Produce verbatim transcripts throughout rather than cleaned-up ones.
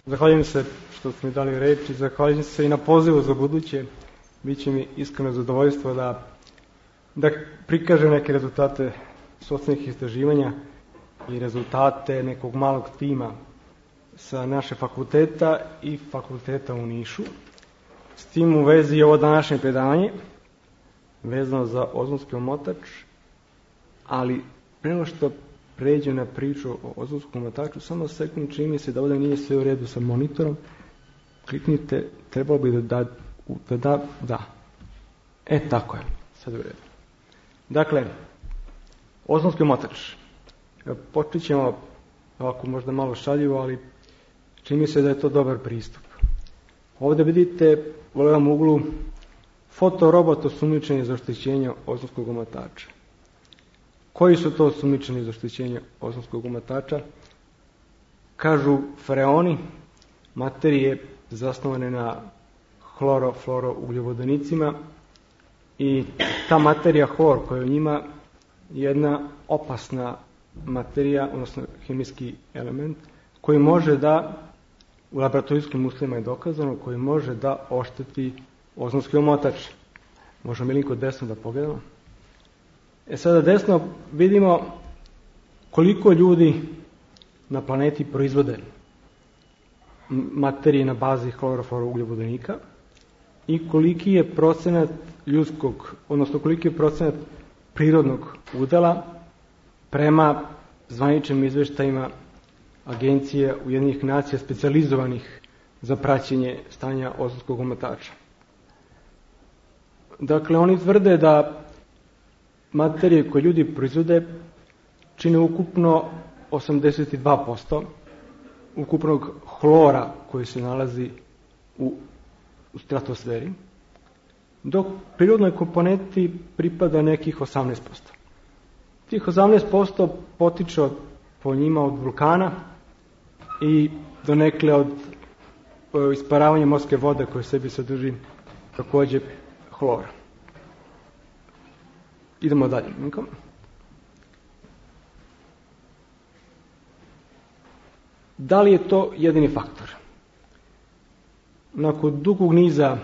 Zahvaljujem se što ste mi dali reč i zahvaljujem se i na pozivu za buduće. Biće mi iskreno zadovoljstvo da, da prikažem neke rezultate socijalnih istraživanja i rezultate nekog malog tima sa naše fakulteta i fakulteta u Nišu. S tim u vezi je ovo današnje predavanje vezano za ozonski omotač, ali pre nego što pređem na priču o ozonskom omotaču, samo sekund, čini mi se da ovdje nije sve u redu sa monitorom. Kliknite, trebalo bi da da, da, da, da. E, tako je, sad je u redu. Dakle, ozonski omotač. Počet ćemo ovako možda malo šaljivo, ali čini mi se da je to dobar pristup. Ovdje vidite u levom uglu fotorobot osumnjičenje za oštećenje ozonskog omotača. Koji su to osumnjičeni za oštećenje ozonskog omotača? Kažu freoni, materije zasnovane na hloro-fluoro-ugljovodonicima, i ta materija hlor koja je u njima je jedna opasna materija, odnosno hemijski element, koji može da, u laboratorijskim uslovima je dokazano, koji može da ošteti ozonski omotač. Možemo mi linko desno da pogledamo. E sada desno vidimo koliko ljudi na planeti proizvode materije na bazi hlorofluorougljavodonika i koliki je procenat ljudskog, odnosno koliki je procenat prirodnog udela prema zvaničnim izveštajima agencije Ujedinjenih nacija specijalizovanih za praćenje stanja ozonskog omotača. Dakle, oni tvrde da materije koje ljudi proizvode čine ukupno osamdeset dva posto ukupnog hlora koji se nalazi u, u stratosferi, dok prirodnoj komponenti pripada nekih osamnaest posto. Tih osamnaest posto potiče od, po njima od vulkana i donekle od isparavanja morske vode koje sebi sadrži također hlor. Idemo dalje. Da li je to jedini faktor? Nakon dugog niza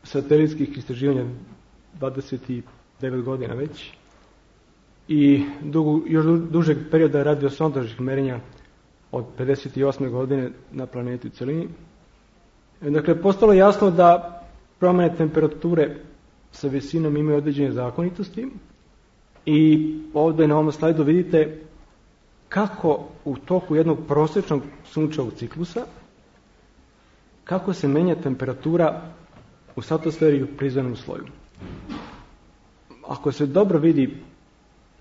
satelitskih istraživanja, dvadeset devet godina već, i dugu, još dužeg perioda radiosondažnih merenja od pedeset osme godine na planeti u celini, dakle, postalo je jasno da promjene temperature sa visinom imaju određene zakonitosti, i ovdje na ovom slajdu vidite kako u toku jednog prosječnog sunčevog ciklusa, kako se menja temperatura u stratosferi i u prizemnom sloju. Ako se dobro vidi,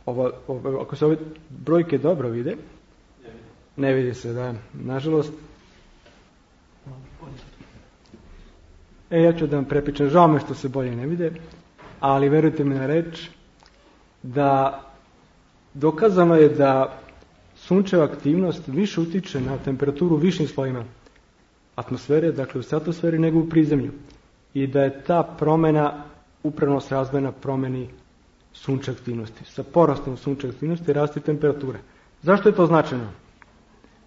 ovo, ovo, ako se ove brojke dobro vide, ne vidi se, da, nažalost. E, ja ću da vam prepričam, žao me što se bolje ne vide, ali verujte mi na reč da dokazano je da sunčeva aktivnost više utiče na temperaturu u višim slojima atmosfere, dakle u stratosferi, nego u prizemlju. I da je ta promjena upravo srazmjerna promjeni sunčeve aktivnosti. Sa porastom sunčeve aktivnosti raste temperatura. Zašto je to značajno?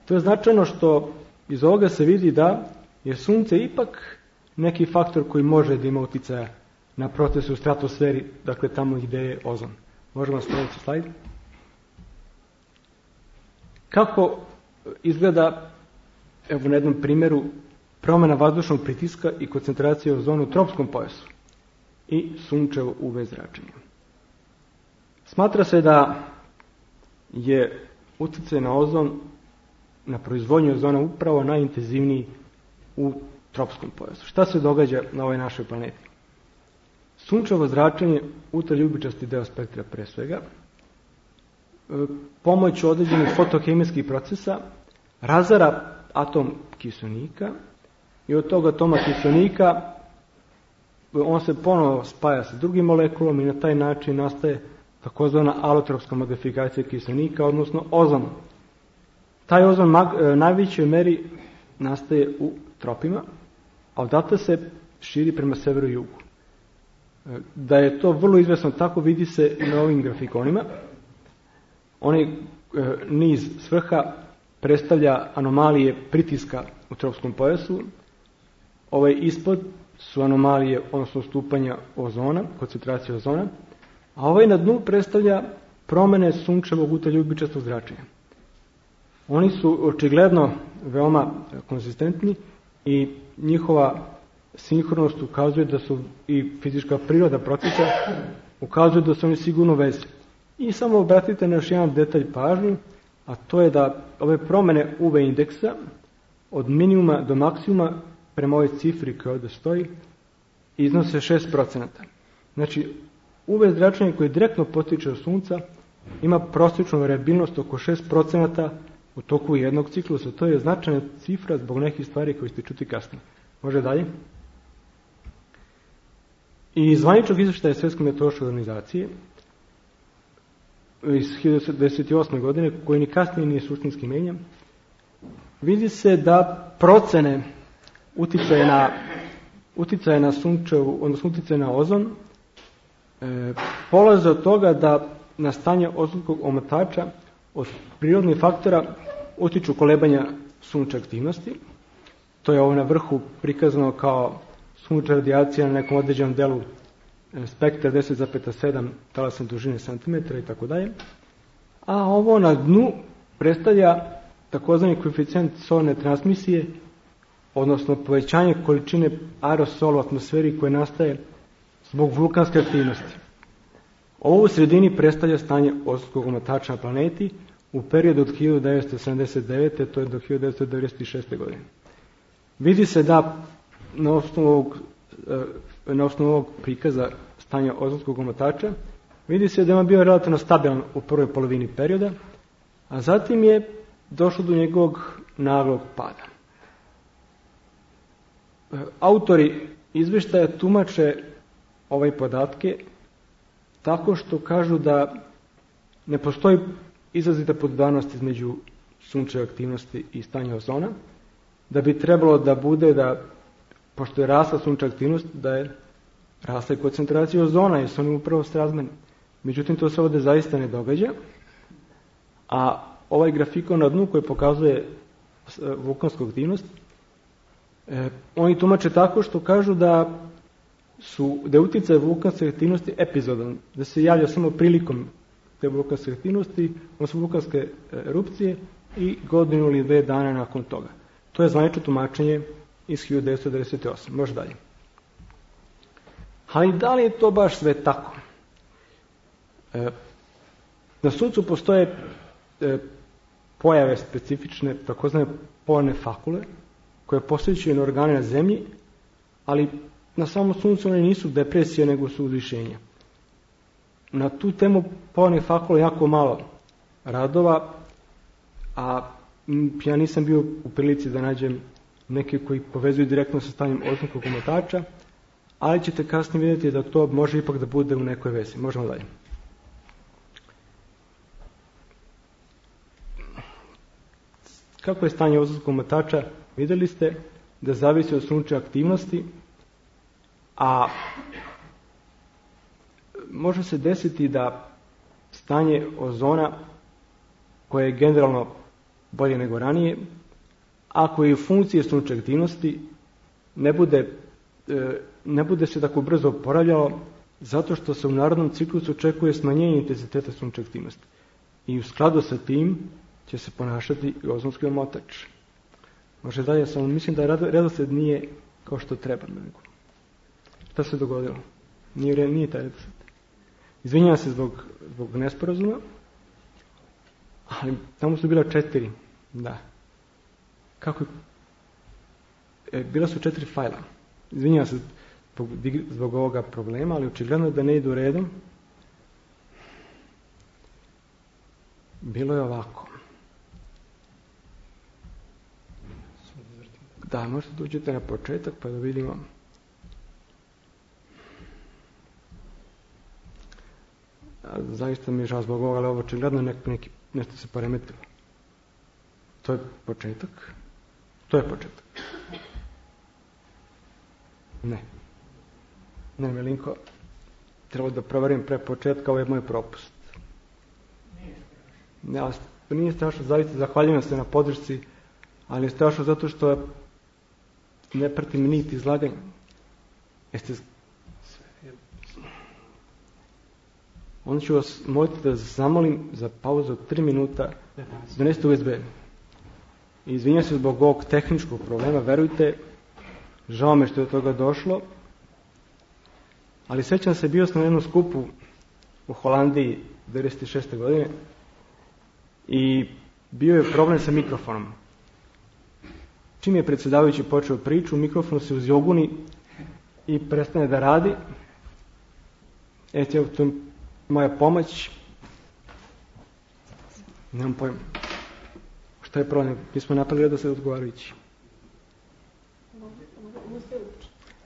To je značajno što iz ovoga se vidi da je sunce ipak neki faktor koji može da ima uticaja na procese u stratosferi, dakle tamo gdje je ozon. Možemo sljedeći slajd. Kako izgleda, evo na jednom primjeru, promjena vazdušnog pritiska i koncentracije ozona u tropskom pojasu i sunčevo U V zračenje. Smatra se da je utjecaj na ozon, na proizvodnju ozona upravo najintenzivniji u tropskom pojasu. Šta se događa na ovoj našoj planeti? Sunčevo zračenje, ultraljubičasti deo spektra pre svega, pomoću određenih fotohemijskih procesa razara atom kiselnika i od tog atoma kiselnika on se ponovo spaja sa drugim molekulom i na taj način nastaje takozvana alotropska modifikacija kiselnika, odnosno ozon. Taj ozon u najvećoj meri nastaje u tropima, a odatle se širi prema severu i jugu. Da je to vrlo izvesno tako vidi se i na ovim grafikonima. Oni e, niz s vrha predstavlja anomalije pritiska u tropskom pojasu. Ovaj ispod su anomalije, odnosno stupanja ozona, koncentracije ozona, a ovaj na dnu predstavlja promene sunčevog ultraljubičastog zračenja. Oni su očigledno veoma konzistentni i njihova sinhronost ukazuje da su i fizička priroda procesa ukazuje da su oni sigurno vezi. I samo obratite na još jedan detalj pažnju, a to je da ove promene U V indeksa od minimuma do maksimuma prema ovoj cifri koja ovdje stoji iznose šest procenata. Znači, U V zračenje koje direktno potiče od sunca ima prosječnu variabilnost oko šest procenata u toku jednog ciklusa. To je značajna cifra zbog nekih stvari koje ćete čuti kasnije. Može dalje? I iz zvaničnog izvještaja Svjetske meteorološke organizacije iz hiljadu devetsto devedeset osme. godine, koji ni kasnije nije suštinski menjan, vidi se da procene uticaje na, uticaje na sunčevu, odnosno uticaje na ozon, e, polaze od toga da na stanje ozonskog omotača od prirodnih faktora utiču kolebanja sunčeve aktivnosti. To je ovo na vrhu prikazano kao sunčeva radijacija na nekom određenom delu spektra deset zarez sedam talasne dužine centimetra i tako dalje. A ovo na dnu predstavlja takozvani koeficijent solarne transmisije, odnosno povećanje količine aerosola u atmosferi koje nastaje zbog vulkanske aktivnosti. Ovo u sredini predstavlja stanje ozonskog omotača na planeti u periodu od hiljadu devetsto sedamdeset devete. to je do hiljadu devetsto devedeset šeste. godine. Vidi se da na osnovu ovog, na osnovu ovog prikaza stanja ozonskog omotača vidi se da je on bio relativno stabilan u prvoj polovini perioda, a zatim je došlo do njegovog naglog pada. Autori izvještaja tumače ove podatke tako što kažu da ne postoji izrazita podudarnost između sunčeve aktivnosti i stanja ozona, da bi trebalo da bude da, pošto je rasla sunčeva aktivnost, da je rasla i koncentracija ozona, jer su oni upravo srazmeni. Međutim, to se ovdje zaista ne događa, a ovaj grafikon na dnu koji pokazuje vulkansku aktivnost, eh, oni tumače tako što kažu da su, da je utjecaj vulkanske aktivnosti epizodan, da se javlja samo prilikom te vulkanske aktivnosti, odnosno vulkanske erupcije i godinu ili dve dana nakon toga. To je zvanično tumačenje iz hiljadu devetsto devedeset osme. Može dalje. Ali da li je to baš sve tako? E, na Suncu postoje e, pojave specifične, takozvane polarne fakule, koje posjećuju na organe na Zemlji, ali na samom Suncu one nisu depresije, nego su uzvišenja. Na tu temu polarnih fakula jako malo radova, a ja nisam bio u prilici da nađem neke koji povezuju direktno sa stanjem ozonskog omotača, ali ćete kasnije vidjeti da to može ipak da bude u nekoj vezi. Možemo dalje. Kako je stanje ozonskog omotača? Vidjeli ste da zavisi od sunčeve aktivnosti, a može se desiti da stanje ozona, koje je generalno bolje nego ranije, ako je u funkciji sunčeve aktivnosti, ne bude, ne bude se tako brzo oporavljalo, zato što se u narodnom ciklusu očekuje smanjenje intenziteta sunčeve aktivnosti. I u skladu sa tim će se ponašati i ozonski omotač. Može dalje, samo mislim da redosled nije kao što treba. Šta se dogodilo? Nije, nije taj redosled. Izvinjavam se zbog, zbog nesporazuma, ali tamo su bila četiri. Da. Kako? E, bila su četiri fajla. Izvinjavam se zbog, zbog ovoga problema, ali očigledno da ne idu redom. Bilo je ovako. Da, možete dođete na početak pa da vidimo. Zaista mi je žao zbog ovoga, ali ovo očigledno nek, neki, nešto se poremetilo. To je početak. To je početak. Ne. Ne, Milinko, treba da proverim pre početka, ovo je moj propust. Ne, To nije strašno, zaista zahvaljujem se na podršci, ali je strašno zato što ne pratim niti izlaganja. Jeste... Onda ću vas moliti da zamolim za pauzu od tri minuta, donesite U S B. I izvinjam se zbog ovog tehničkog problema, verujte, žao me što je do toga došlo, ali sećam se, bio sam na jednom skupu u Holandiji devedeset šeste godine i bio je problem sa mikrofonom. Čim je predsjedavajući počeo priču, mikrofon se uzjoguni i prestane da radi. Eto, to je moja pomoć. Nemam pojma. Šta je problem? Mi smo napravili da se odgovarajući.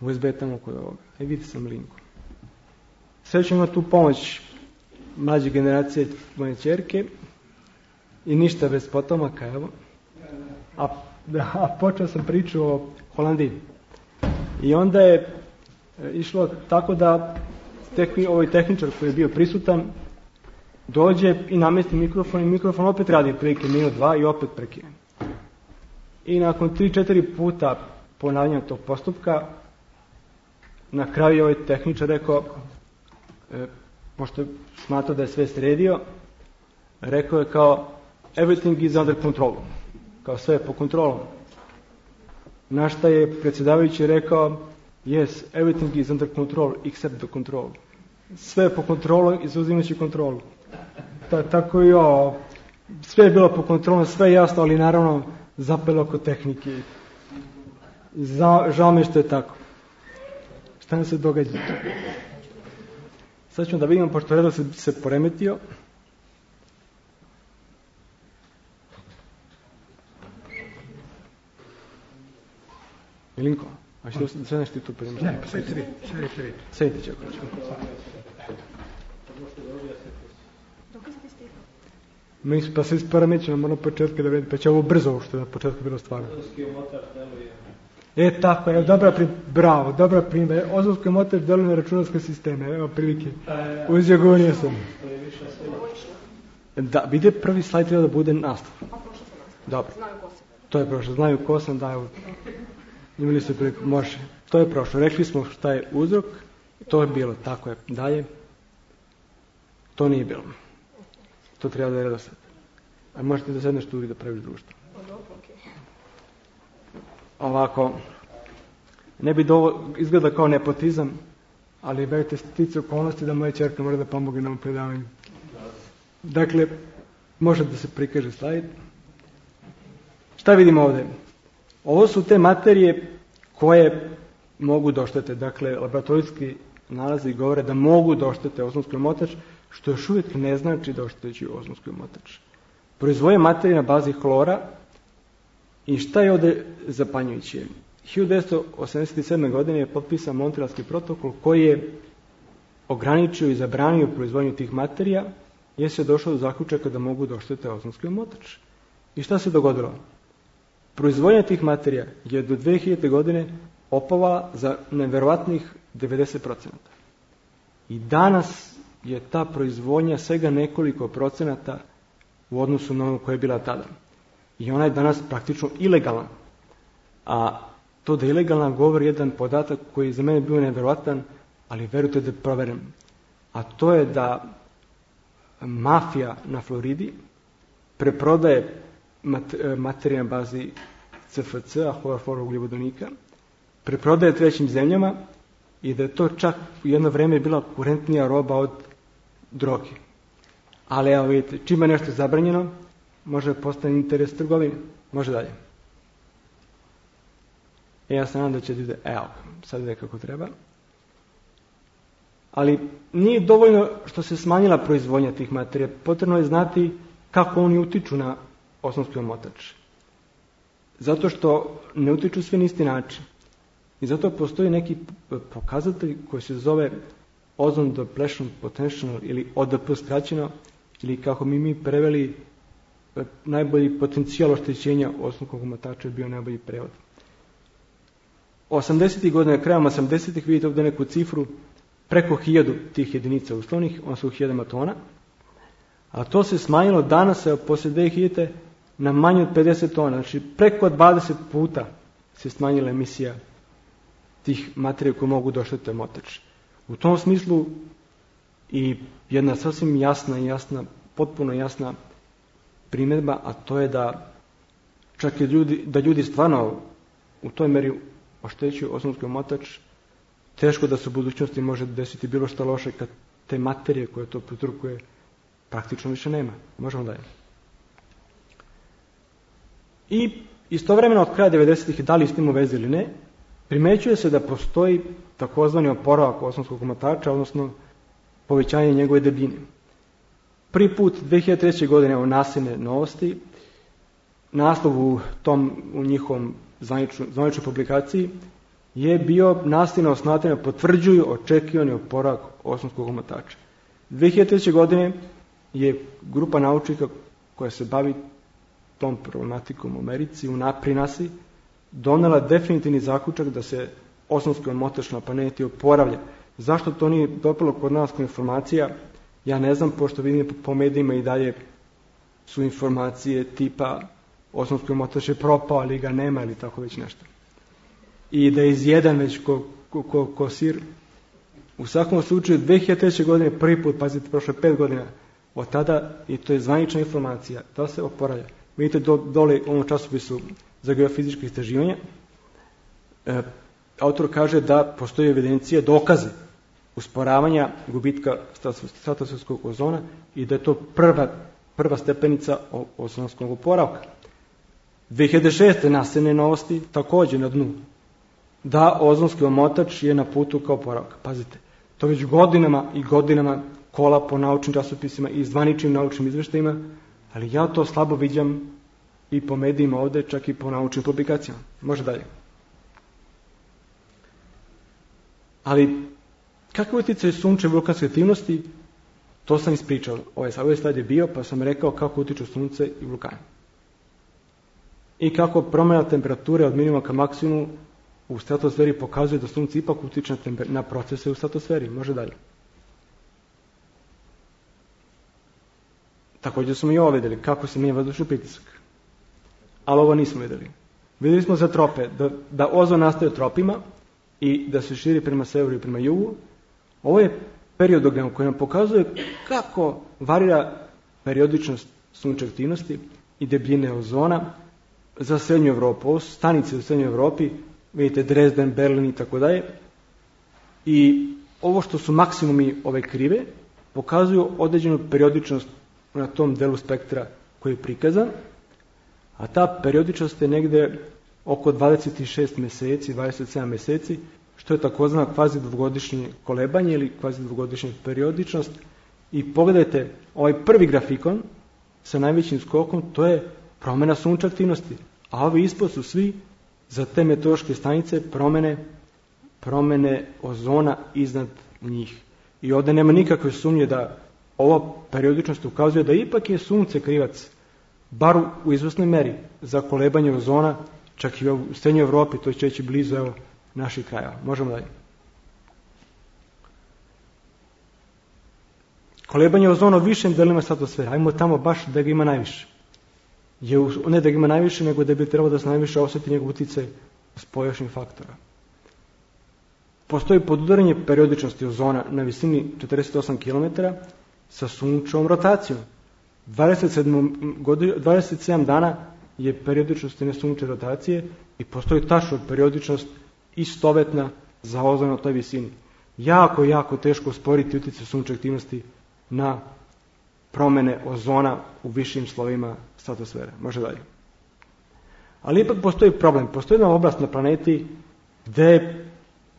U S B je tamo kod ovoga. E, vidite sam linku. Sve ću imati tu pomoć mlađe generacije moje ćerke i ništa bez potomaka, evo. A, a počeo sam priču o Holandiji. I onda je išlo tako da tekni, ovaj tehničar koji je bio prisutan dođe i namesti mikrofon i mikrofon opet radi prilike minut dva i opet prekine. I nakon tri četiri puta ponavljanja tog postupka na kraju je ovaj tehničar rekao, e, pošto smatrao da je sve sredio, rekao je kao everything is under control, kao sve je po kontrolom. Na šta je predsjedavajući rekao yes, everything is under control except the control. Sve je po kontrolu izuzimajući kontrolu. Ta, tako i ovo, sve je bilo po kontrolu, sve je jasno, ali naravno zapelo oko tehnike. Za, žao mi što je tako. Šta nam se događa? Sad ćemo da vidimo, pošto redo se, se poremetio. Milinko, a što sve nešto tu primiti? Ne, sve tri, sve tri. Sedite će ako ćemo. Mi pa se isporemećemo na početku da vidim, pa će ovo brzo što je na početku bilo stvarno. E, tako je, dobra prim, bravo, dobra primjer. Ozonski motač deluje na računarske sisteme, evo prilike. Uzjagonio sam. Da, vide prvi slajd treba da bude nastav. Dobro. To je prošlo, znaju ko sam, da, evo. Imali ste priliku, može. To je prošlo, rekli smo šta je uzrok, to je bilo, tako je, dalje. To nije bilo. To treba da je redosled. A možete da sedneš tu i da praviš društvo. Ovako, ne bi dovo, izgleda kao nepotizam, ali verujte stice okolnosti da moja ćerka mora da pomogne na ovom predavanju. Dakle, može da se prikaže slajd. Šta vidimo ovdje? Ovo su te materije koje mogu doštete. Dakle, laboratorijski nalazi govore da mogu doštete ozonski omotač, što još uvijek ne znači da oštećuju ozonski omotač. Proizvoje materije na bazi hlora. I šta je ovdje zapanjujuće? hiljadu devetsto osamdeset sedme. godine je potpisan Montrealski protokol koji je ograničio i zabranio proizvodnju tih materija, jer se došlo do zaključaka da mogu da oštete ozonski omotač. I šta se dogodilo? Proizvodnja tih materija je do dve hiljadite. godine opavala za neverovatnih devedeset procenata. I danas je ta proizvodnja svega nekoliko procenata u odnosu na ono koja je bila tada. I ona je danas praktično ilegalna. A to da je ilegalna govori jedan podatak koji je za mene bio neverovatan, ali verujte da je proveren. A to je da mafija na Floridi preprodaje materije na bazi C F C-a, hlorofluorougljikovodonika, preprodaje trećim zemljama i da je to čak u jedno vrijeme bila kurentnija roba od droge. Ali evo vidite, čim je nešto zabranjeno, može postane interes trgovine. Može dalje. E, ja se nadam da će ide, evo, sad ide kako treba. Ali nije dovoljno što se smanjila proizvodnja tih materija. Potrebno je znati kako oni utiču na ozonski omotač. Zato što ne utiču sve na isti način. I zato postoji neki pokazatelj koji se zove ozone depletion potential ili O D P skraćeno, ili kako mi mi preveli najbolji potencijal oštećenja ozonskog omotača je bio najbolji prevod. osamdesetih godina, krajem osamdesetih vidite ovdje neku cifru, preko hiljadu tih jedinica uslovnih, on su u hiljadama tona, A to se smanjilo danas, evo, poslije dvije hiljade na manje od pedeset tona. Znači, preko dvadeset puta se smanjila emisija tih materija koje mogu došteti omotač. U tom smislu i jedna sasvim jasna i jasna, potpuno jasna primjedba, a to je da čak i ljudi, da ljudi stvarno u toj meri oštećuju ozonski omotač, teško da se u budućnosti može desiti bilo što loše kad te materije koje to prouzrokuje praktično više nema. Možemo dalje. I istovremeno od kraja devedesetih, da li s tim u vezi ili ne, primećuje se da postoji takozvani oporavak ozonskog omotača, odnosno povećanje njegove debljine. Prvi put dvije hiljade treće. godine u Nasine novosti, naslov u, tom, u njihovom zvaničnoj publikaciji je bio Nasina osnatranja potvrđuju očekivani oporavak ozonskog omotača. dvije hiljade treće. godine je grupa naučnika koja se bavi tom problematikom u Americi, u Naprinasi, donela definitivni zaključak da se ozonski omotač na planeti oporavlja. Zašto to nije dopalo kod nas kao informacija? Ja ne znam, pošto vidim po medijima i dalje su informacije tipa ozonski omotač je propao, ali ga nema ili tako već nešto. I da je izjedan već ko, ko, ko, ko sir. U svakom slučaju, dvije hiljade treće. godine prvi put, pazite, prošlo pet godina, od tada, i to je zvanična informacija, da se oporavlja. Vidite do, dole u ovom časopisu za geofizičke istraživanja, e, autor kaže da postoji evidencija, dokaze usporavanja gubitka stratosferskog ozona i da je to prva, prva stepenica ozonskog oporavka. dvije hiljade šeste. Nasene novosti također na dnu, da ozonski omotač je na putu kao oporavka. Pazite, to već godinama i godinama kola po naučnim časopisima i zvaničnim naučnim izveštajima, ali ja to slabo viđam i po medijima ovdje, čak i po naučnim publikacijama. Može dalje. Ali kakav utjecaj sunčeve i vulkanske aktivnosti, to sam ispričao. Ovaj, ovaj slajd je bio, pa sam rekao kako utiču sunce i vulkani. I kako promjena temperature od minimuma ka maksimumu u stratosferi pokazuje da sunce ipak utiče na, na procese u stratosferi. Može dalje. Također smo i ovo vidjeli, kako se mijenja vazdušni pritisak. Ali ovo nismo vidjeli. Vidjeli smo za trope, da, da ozon nastaje u tropima i da se širi prema severu i prema jugu. Ovo je periodogram koji nam pokazuje kako varira periodičnost sunčeve aktivnosti i debljine ozona za srednju Evropu. Ovo su stanice u srednjoj Evropi, vidite Dresden, Berlin i tako dalje. I ovo što su maksimumi ove krive pokazuju određenu periodičnost na tom delu spektra koji je prikazan, a ta periodičnost je negde oko dvadeset šest mjeseci, dvadeset sedam mjeseci, što je takozvana kvazi dvogodišnje kolebanje ili kvazi dvogodišnja periodičnost. I pogledajte, ovaj prvi grafikon sa najvećim skokom, to je promjena sunčeve aktivnosti, a ovi ispod su svi za te meteorološke stanice promjene, promjene ozona iznad njih. I ovdje nema nikakve sumnje da ova periodičnost ukazuje da ipak je sunce krivac, bar u izvesnoj meri, za kolebanje ozona, čak i u srednjoj Evropi, to će reći blizu evo, naših krajeva. Možemo dalje. Kolebanje ozona u višim delima stratosfere, ajmo tamo baš da ga ima najviše. Je, ne da ga ima najviše, nego da bi trebalo da se najviše osjeti njegov utjecaj spojašnjih faktora. Postoji podudaranje periodičnosti ozona na visini četrdeset osam kilometara sa sunčevom rotacijom. dvadeset sedam, dvadeset sedam dana je periodičnost jedne sunčeve rotacije i postoji tačno periodičnost istovetna za ozon na toj visini. Jako, jako teško usporiti utjecaj sunčeve aktivnosti na promjene ozona u višim slovima stratosfere. Može dalje. Ali ipak postoji problem. Postoji jedna oblast na planeti gdje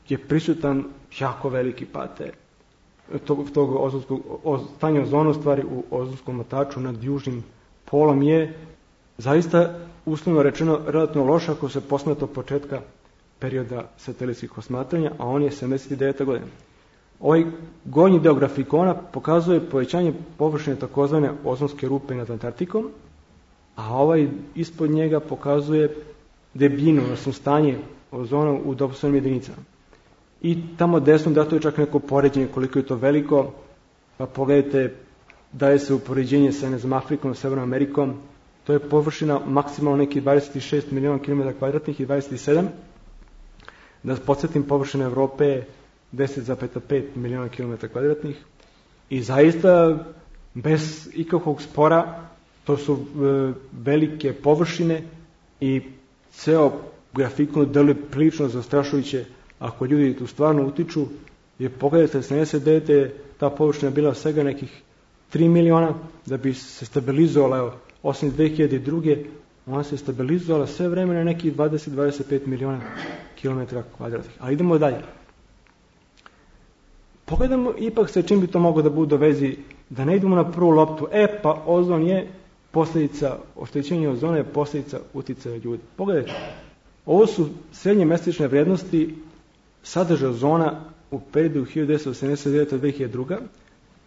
je prisutan jako veliki pad tog, tog ozonskog, stanje ozona u stvari u ozonskom omotaču nad južnim polom je zaista uslovno rečeno relativno loše ako se posmatra od početka perioda satelitskih osmatranja, a on je sedamdeset deveta godina. Ovaj gornji deo grafikona pokazuje povećanje površine takozvane ozonske rupe nad Antarktikom, a ovaj ispod njega pokazuje debljinu, odnosno stanje ozona u dopustovnim jedinicama. I tamo desno dato je čak neko poređenje koliko je to veliko, pa pogledajte daje se upoređenje sa ne znam, Afrikom, Severnom Amerikom, to je površina maksimalno neki dvadeset šest miliona kilometara kvadratnih i dvadeset sedam. Da podsjetim, površina Evrope je deset zarez pet miliona kilometara kvadratnih i zaista bez ikakvog spora to su e, velike površine i ceo grafikon deluje prilično zastrašujuće ako ljudi tu stvarno utiču, jer pogledajte, sedamdeset devete ta površina bila svega nekih tri miliona, da bi se stabilizovala, evo, osim dve hiljade druge. ona se stabilizovala sve vreme na nekih dvadeset do dvadeset pet miliona kilometara kvadratnih. Ali idemo dalje. Pogledamo ipak sa čim bi to moglo da bude u vezi, da ne idemo na prvu loptu, e pa ozon je posljedica, oštećenje ozona je posljedica uticaja ljudi. Pogledajte, ovo su srednje mesečne vrednosti sadržaja ozona u periodu hiljadu devetsto sedamdeset devete do dve hiljade druge.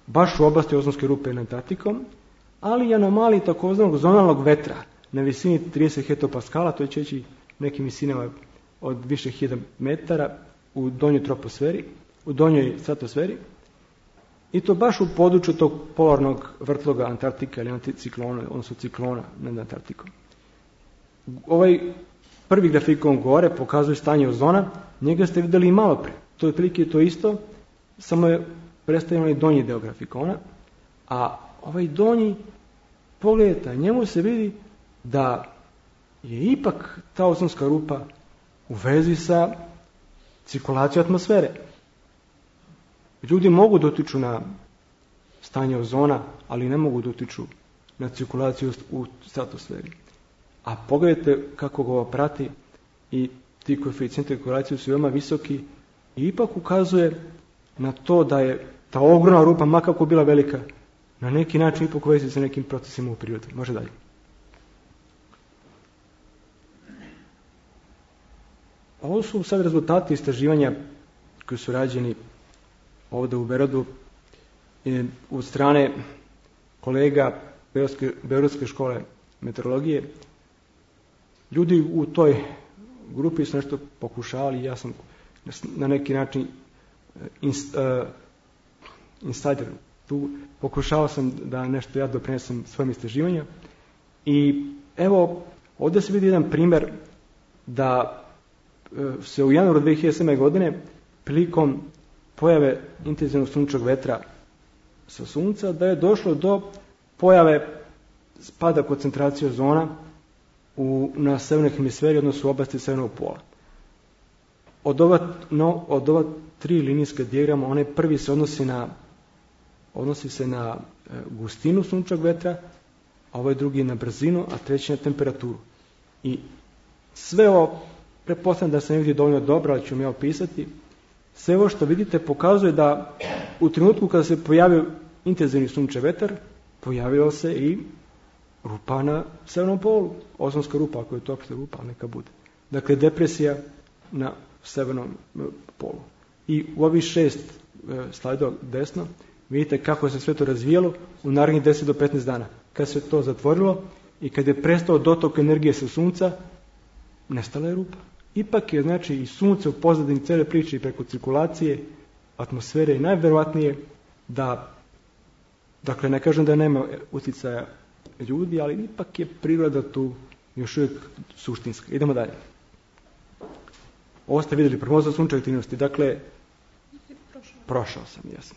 baš u oblasti ozonske rupe nad Antarktikom, ali i anomaliji takozvanog zonalnog vetra na visini trideset hektopaskala, to je čeći nekim visinama od više hiljada metara u donjoj troposferi, u donjoj stratosferi, i to baš u području tog polarnog vrtloga Antarktika ili anticiklona, odnosno ciklona nad Antarktikom. Ovaj prvi grafikon gore pokazuje stanje ozona, njega ste vidjeli i malo pre. To je otprilike to isto, samo je predstavljeno i donji deo grafikona, a ovaj donji, pogledajte, njemu se vidi da je ipak ta ozonska rupa u vezi sa cirkulacijom atmosfere. Ljudi mogu da utiču na stanje ozona, ali ne mogu da utiču na cirkulaciju u stratosferi. A pogledajte kako ga ovo prati i ti koeficijenti cirkulacije su veoma visoki i ipak ukazuje na to da je ta ogromna rupa, makako bila velika, na neki način ipak u vezi sa nekim procesima u prirodi. Može dalje. Ovo su sad rezultati istraživanja koji su rađeni ovdje u Beogradu od strane kolega Beogradske, Beogradske škole meteorologije. Ljudi u toj grupi su nešto pokušavali, ja sam na neki način inst, uh, insider tu, pokušao sam da nešto ja doprinesem svojim istraživanja. I evo, ovdje se vidi jedan primjer da se u januaru dve hiljade sedme. godine prilikom pojave intenzivnog sunčevog vetra sa sunca, da je došlo do pojave spada koncentracije ozona u, na severnoj hemisferi, odnosno u oblasti severnog pola. Od ova, no, od ova tri linijska dijagrama, onaj prvi se odnosi na odnosi se na e, gustinu sunčevog vetra, a ovaj drugi na brzinu, a treći na temperaturu. I sve ovo, pretpostavljam da se ne vidi dovoljno dobro, ali ću mi opisati. Sve ovo što vidite pokazuje da u trenutku kada se pojavio intenzivni sunčev vetar, pojavila se i rupa na severnom polu. Ozonska rupa, ako je to opšte rupa, neka bude. Dakle, depresija na severnom polu. I u ovih šest slajdova desno vidite kako se sve to razvijalo u narednih deset do petnaest dana. Kad se to zatvorilo i kad je prestao dotok energije sa sunca, nestala je rupa. Ipak je, znači, i sunce u pozadini cele priče i preko cirkulacije atmosfere i najverovatnije da, dakle, ne kažem da nema uticaja ljudi, ali ipak je priroda tu još uvijek suštinska. Idemo dalje. Ovo ste vidjeli, prognoza sunčeve aktivnosti. Dakle, prošao, prošao sam, jasno.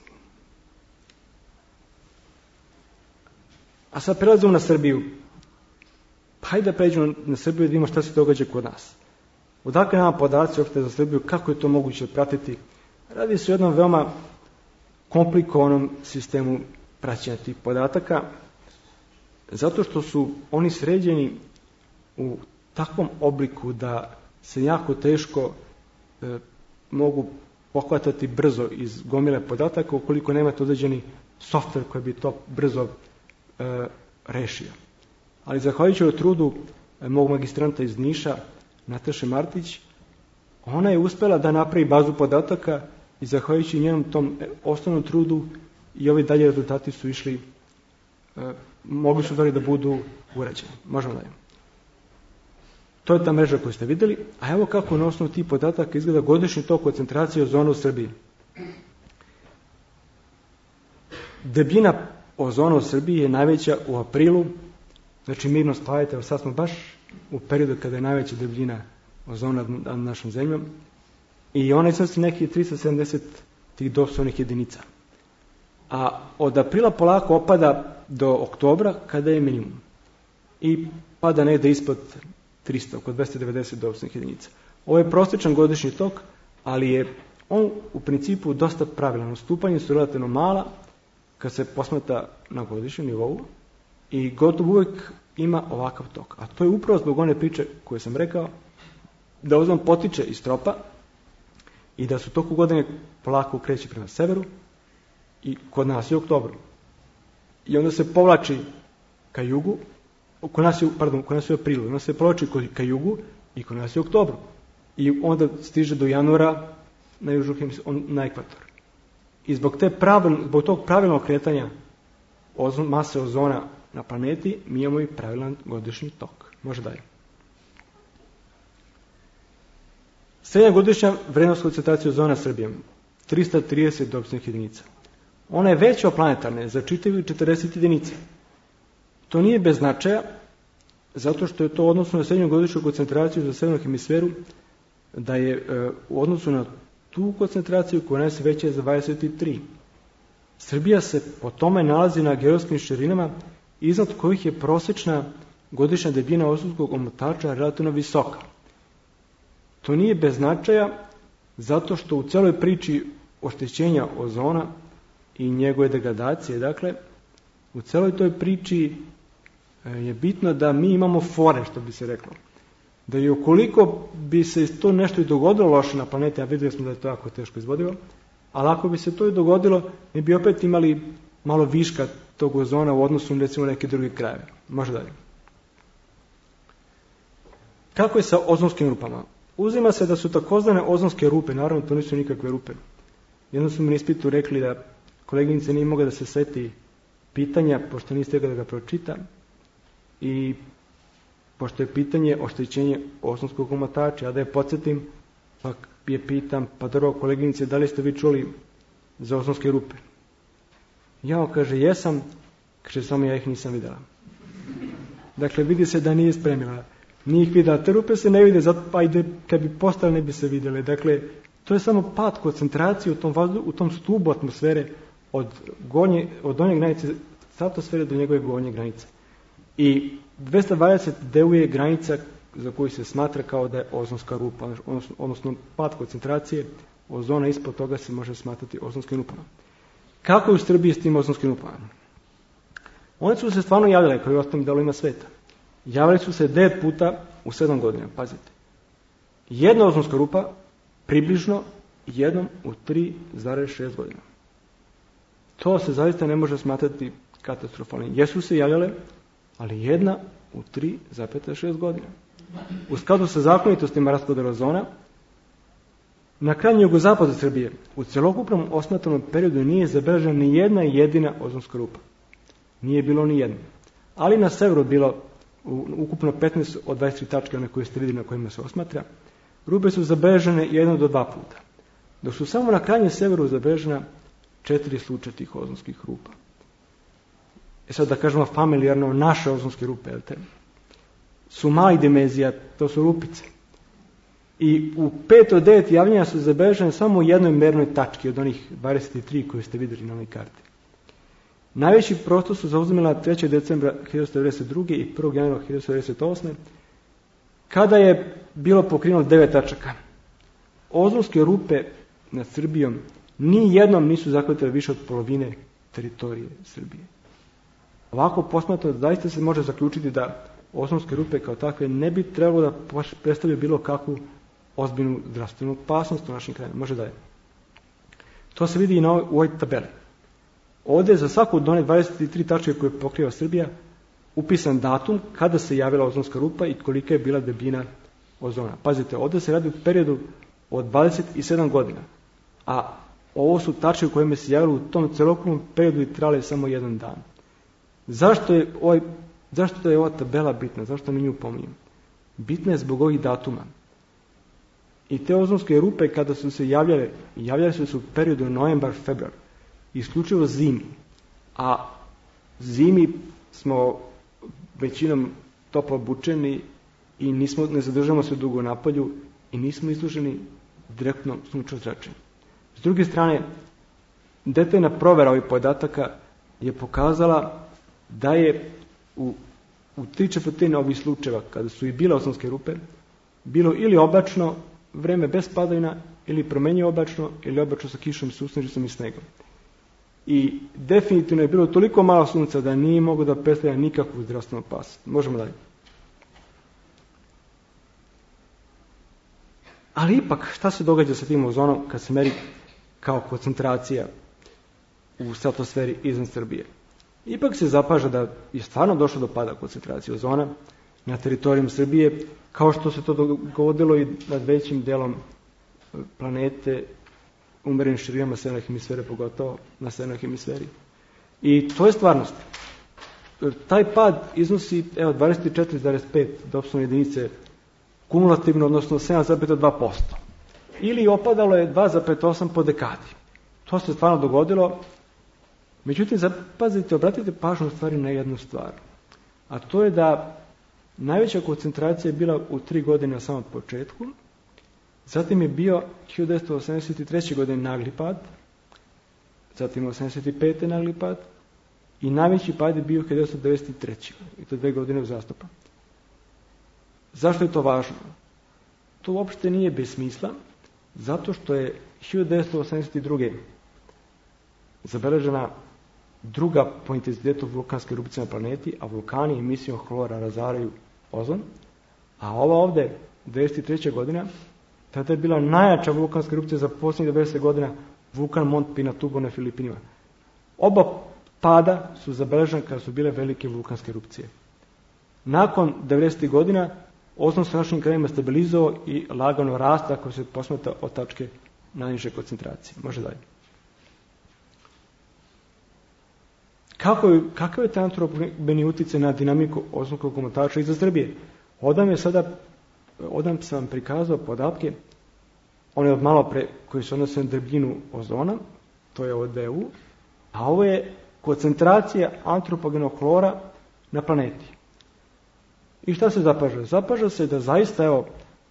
A sad prelazimo na Srbiju. Pa hajde da pređemo na Srbiju i da vidimo šta se događa kod nas. Odakle nama podaci uopšte za Srbiju, kako je to moguće pratiti? Radi se o jednom veoma komplikovanom sistemu praćenja tih podataka, zato što su oni sređeni u takvom obliku da se jako teško e, mogu pohvatati brzo iz gomile podataka ukoliko nemate određeni softver koji bi to brzo e, rešio. Ali zahvaljujući trudu e, mog magistranta iz Niša, Nataše Martić, ona je uspjela da napravi bazu podataka i zahvaljujući njenom tom osnovnom trudu i ovi dalje rezultati su išli, e, mogli su da budu urađeni. Možemo dalje. To je ta mreža koju ste vidjeli, a evo kako na osnovu tih podataka izgleda godišnji tok koncentracije ozona u Srbiji. Debljina ozona u Srbiji je najveća u aprilu, znači mirno spavajte, evo sad smo baš u periodu kada je najveća debljina ozona nad našom zemljom i ona iznosi nekih tristo sedamdeset tih dosovnih jedinica. A od aprila polako opada do oktobra kada je minimum i pada negde ispod trista, oko dvesta devedeset dosovnih jedinica. Ovo je prosječan godišnji tok, ali je on u principu dosta pravilan. Odstupanja su relativno mala kad se posmatra na godišnjem nivou i gotovo uvijek ima ovakav tok. A to je upravo zbog one priče koje sam rekao, da ozon potiče iz tropa i da su toku godine polako kreće prema severu i kod nas je u oktobru. I onda se povlači ka jugu, kod nas je, pardon, kod nas je u aprilu, onda se povlači ka jugu i kod nas je u oktobru. I onda stiže do januara na južnu hemisferu, na ekvator. I zbog, te pravil, zbog tog pravilnog kretanja ozon, mase ozona na planeti, mi imamo i pravilan godišnji tok. Može dalje. Srednja godišnja vrednost koncentracije ozona Srbije, trista trideset dosovnih jedinica. Ona je veća od planetarne za čitavih četrdeset jedinica. To nije bez značaja, zato što je to odnosno na srednju godišnju koncentraciju za severnu hemisferu, da je e, u odnosu na tu koncentraciju koja nas je veća za dvadeset tri. Srbija se po tome nalazi na geografskim širinama iznad kojih je prosječna godišnja debljina ozonskog omotača relativno visoka. To nije bez značaja zato što u celoj priči oštećenja ozona i njegove degradacije, dakle, u celoj toj priči je bitno da mi imamo fore, što bi se reklo. Da je ukoliko bi se to nešto i dogodilo loše na planeti, a vidjeli smo da je to jako teško izvodivo, ali ako bi se to i dogodilo, mi bi opet imali malo viška tog ozona u odnosu na recimo neke druge krajeve. Može dalje. Kako je sa ozonskim rupama? Uzima se da su takozvane ozonske rupe, naravno to nisu nikakve rupe. Jedno su mi na ispitu rekli da koleginice nije mogla da se seti pitanja, pošto nije stegla da ga pročita, i pošto je pitanje oštećenje ozonskog omotača, ja da je podsjetim, pa je pitam, pa dobro koleginice, da li ste vi čuli za ozonske rupe? Ja, kaže, jesam, kaže, samo ja ih nisam videla. Dakle, vidi se da nije spremila. Nije ih videla. Te rupe se ne vide, zato pa ide, kad bi postale ne bi se vidjele. Dakle, to je samo pad koncentracije u tom, vazdu, u tom stubu atmosfere od, gornje, od donje granice stratosfere do njegove gornje granice. I dvesta dvadeset deu je granica za koju se smatra kao da je ozonska rupa, odnosno, odnosno pad koncentracije ozona, ispod toga se može smatrati ozonskim rupama. Kako je u Srbiji s tim ozonskim rupama? One su se stvarno javljale kao i u ostalim delovima sveta. Javljali su se devet puta u sedam godina, pazite. Jedna ozonska rupa približno jednom u tri zarez šest godina. To se zaista ne može smatrati katastrofalnim. Jesu se javljale, ali jedna u tri zarez šest godina. U skladu sa zakonitostima raspodela ozona, na krajnjem jugozapadu Srbije u celokupnom osmatranom periodu nije zabeležena ni jedna jedina ozonska rupa. Nije bilo ni jedna. Ali na severu bilo u, ukupno petnaest od dvadeset tri tačke na koje ste vidjeli na kojima se osmatra. Rupe su zabeležene jedno do dva puta. Dok su samo na krajnjem severu zabeležena četiri slučaja tih ozonskih rupa. E sad da kažemo familijarno, naše ozonske rupe, jel te, su malih dimenzija, to su rupice. I u pet od devet javljanja su zabeležene samo u jednoj mernoj tački od onih dvadeset tri koje ste vidjeli na ovoj karti. Najveći prostor su zauzimala trećeg decembra hiljadu devetsto devedeset druge i prvog januara hiljadu devetsto devedeset osme kada je bilo pokriveno devet tačaka. Ozonske rupe nad Srbijom ni jednom nisu zahvatile više od polovine teritorije Srbije. Ovako posmatrano, zaista se može zaključiti da ozonske rupe kao takve ne bi trebalo da predstavljaju bilo kakvu ozbiljnu zdravstvenu opasnost u našim krajima. Može dalje. To se vidi i na ovoj, u ovoj tabeli. Ovdje je za svaku od one dvadeset tri tačke koje pokriva Srbija upisan datum kada se javila ozonska rupa i kolika je bila debljina ozona. Pazite, ovdje se radi u periodu od dvadeset sedam godina, a ovo su tačke u kojima se javilo u tom celokupnom periodu i trajale samo jedan dan. Zašto je, ovaj, zašto je ova tabela bitna? Zašto mi nju pominjem? Bitna je zbog ovih datuma. I te ozonske rupe kada su se javljale, javljale su se u periodu novembar, februar, isključivo zimi. A zimi smo većinom toplo obučeni i nismo, ne zadržamo se dugo na polju i nismo izloženi direktno sunčevom zračenju. S druge strane, detaljna provera ovih podataka je pokazala da je u, u tri četvrtine ovih slučajeva, kada su i bile ozonske rupe, bilo ili oblačno vreme bez padavina, ili promenjivo oblačno, ili oblačno sa kišom, susnežicom i snegom. I definitivno je bilo toliko malo sunca da nije moglo da predstavlja nikakvu zdravstvenu opasnost. Možemo dalje. Ali ipak, šta se događa sa tim ozonom kad se meri kao koncentracija u stratosferi iznad Srbije? Ipak se zapaža da je stvarno došlo do pada koncentracije ozona na teritorijum Srbije, kao što se to dogodilo i nad većim delom planete, umerenim širinama severne hemisfere, pogotovo na severnoj hemisferi. I to je stvarnost. Taj pad iznosi evo, dvadeset četiri zarez pet dopsovne jedinice kumulativno, odnosno sedam zarez dva posto. Ili opadalo je dva zarez osam po dekadi. To se stvarno dogodilo. Međutim, zapazite, obratite pažnju u stvari na jednu stvar. A to je da najveća koncentracija je bila u tri godine na samom početku, zatim je bio hiljadu devetsto osamdeset treće. godine nagli pad, zatim osamdeset pete. nagli pad i najveći pad je bio hiljadu devetsto devedeset treće. i to dve godine uzastopno. Zašto je to važno? To uopšte nije bez smisla, zato što je hiljadu devetsto osamdeset druge. zabeležena druga po intenzitetu vulkanske erupcije na planeti, a vulkani emisijom hlora razaraju ozon, a ova ovde, devedeset treća. godina, tada je bila najjača vulkanska erupcija za posljednjih devedeset godina, vulkan Mont Pinatubo na Filipinima. Oba pada su zabeležene kada su bile velike vulkanske erupcije. Nakon devedesetih godina, ozon se našim krajima stabilizovao i lagano rasta ako se posmatra od tačke najniže koncentracije. Može dalje. Kako je, kakav je taj antropogeni utjecaj na dinamiku ozonskog omotača iza Srbije? Odam je sada, odam sam vam prikazao podatke, one od malo pre koji se odnose na debljinu ozona, to je od D U, a ovo je koncentracija antropogenog hlora na planeti. I šta se zapaža? Zapaža se da zaista, evo,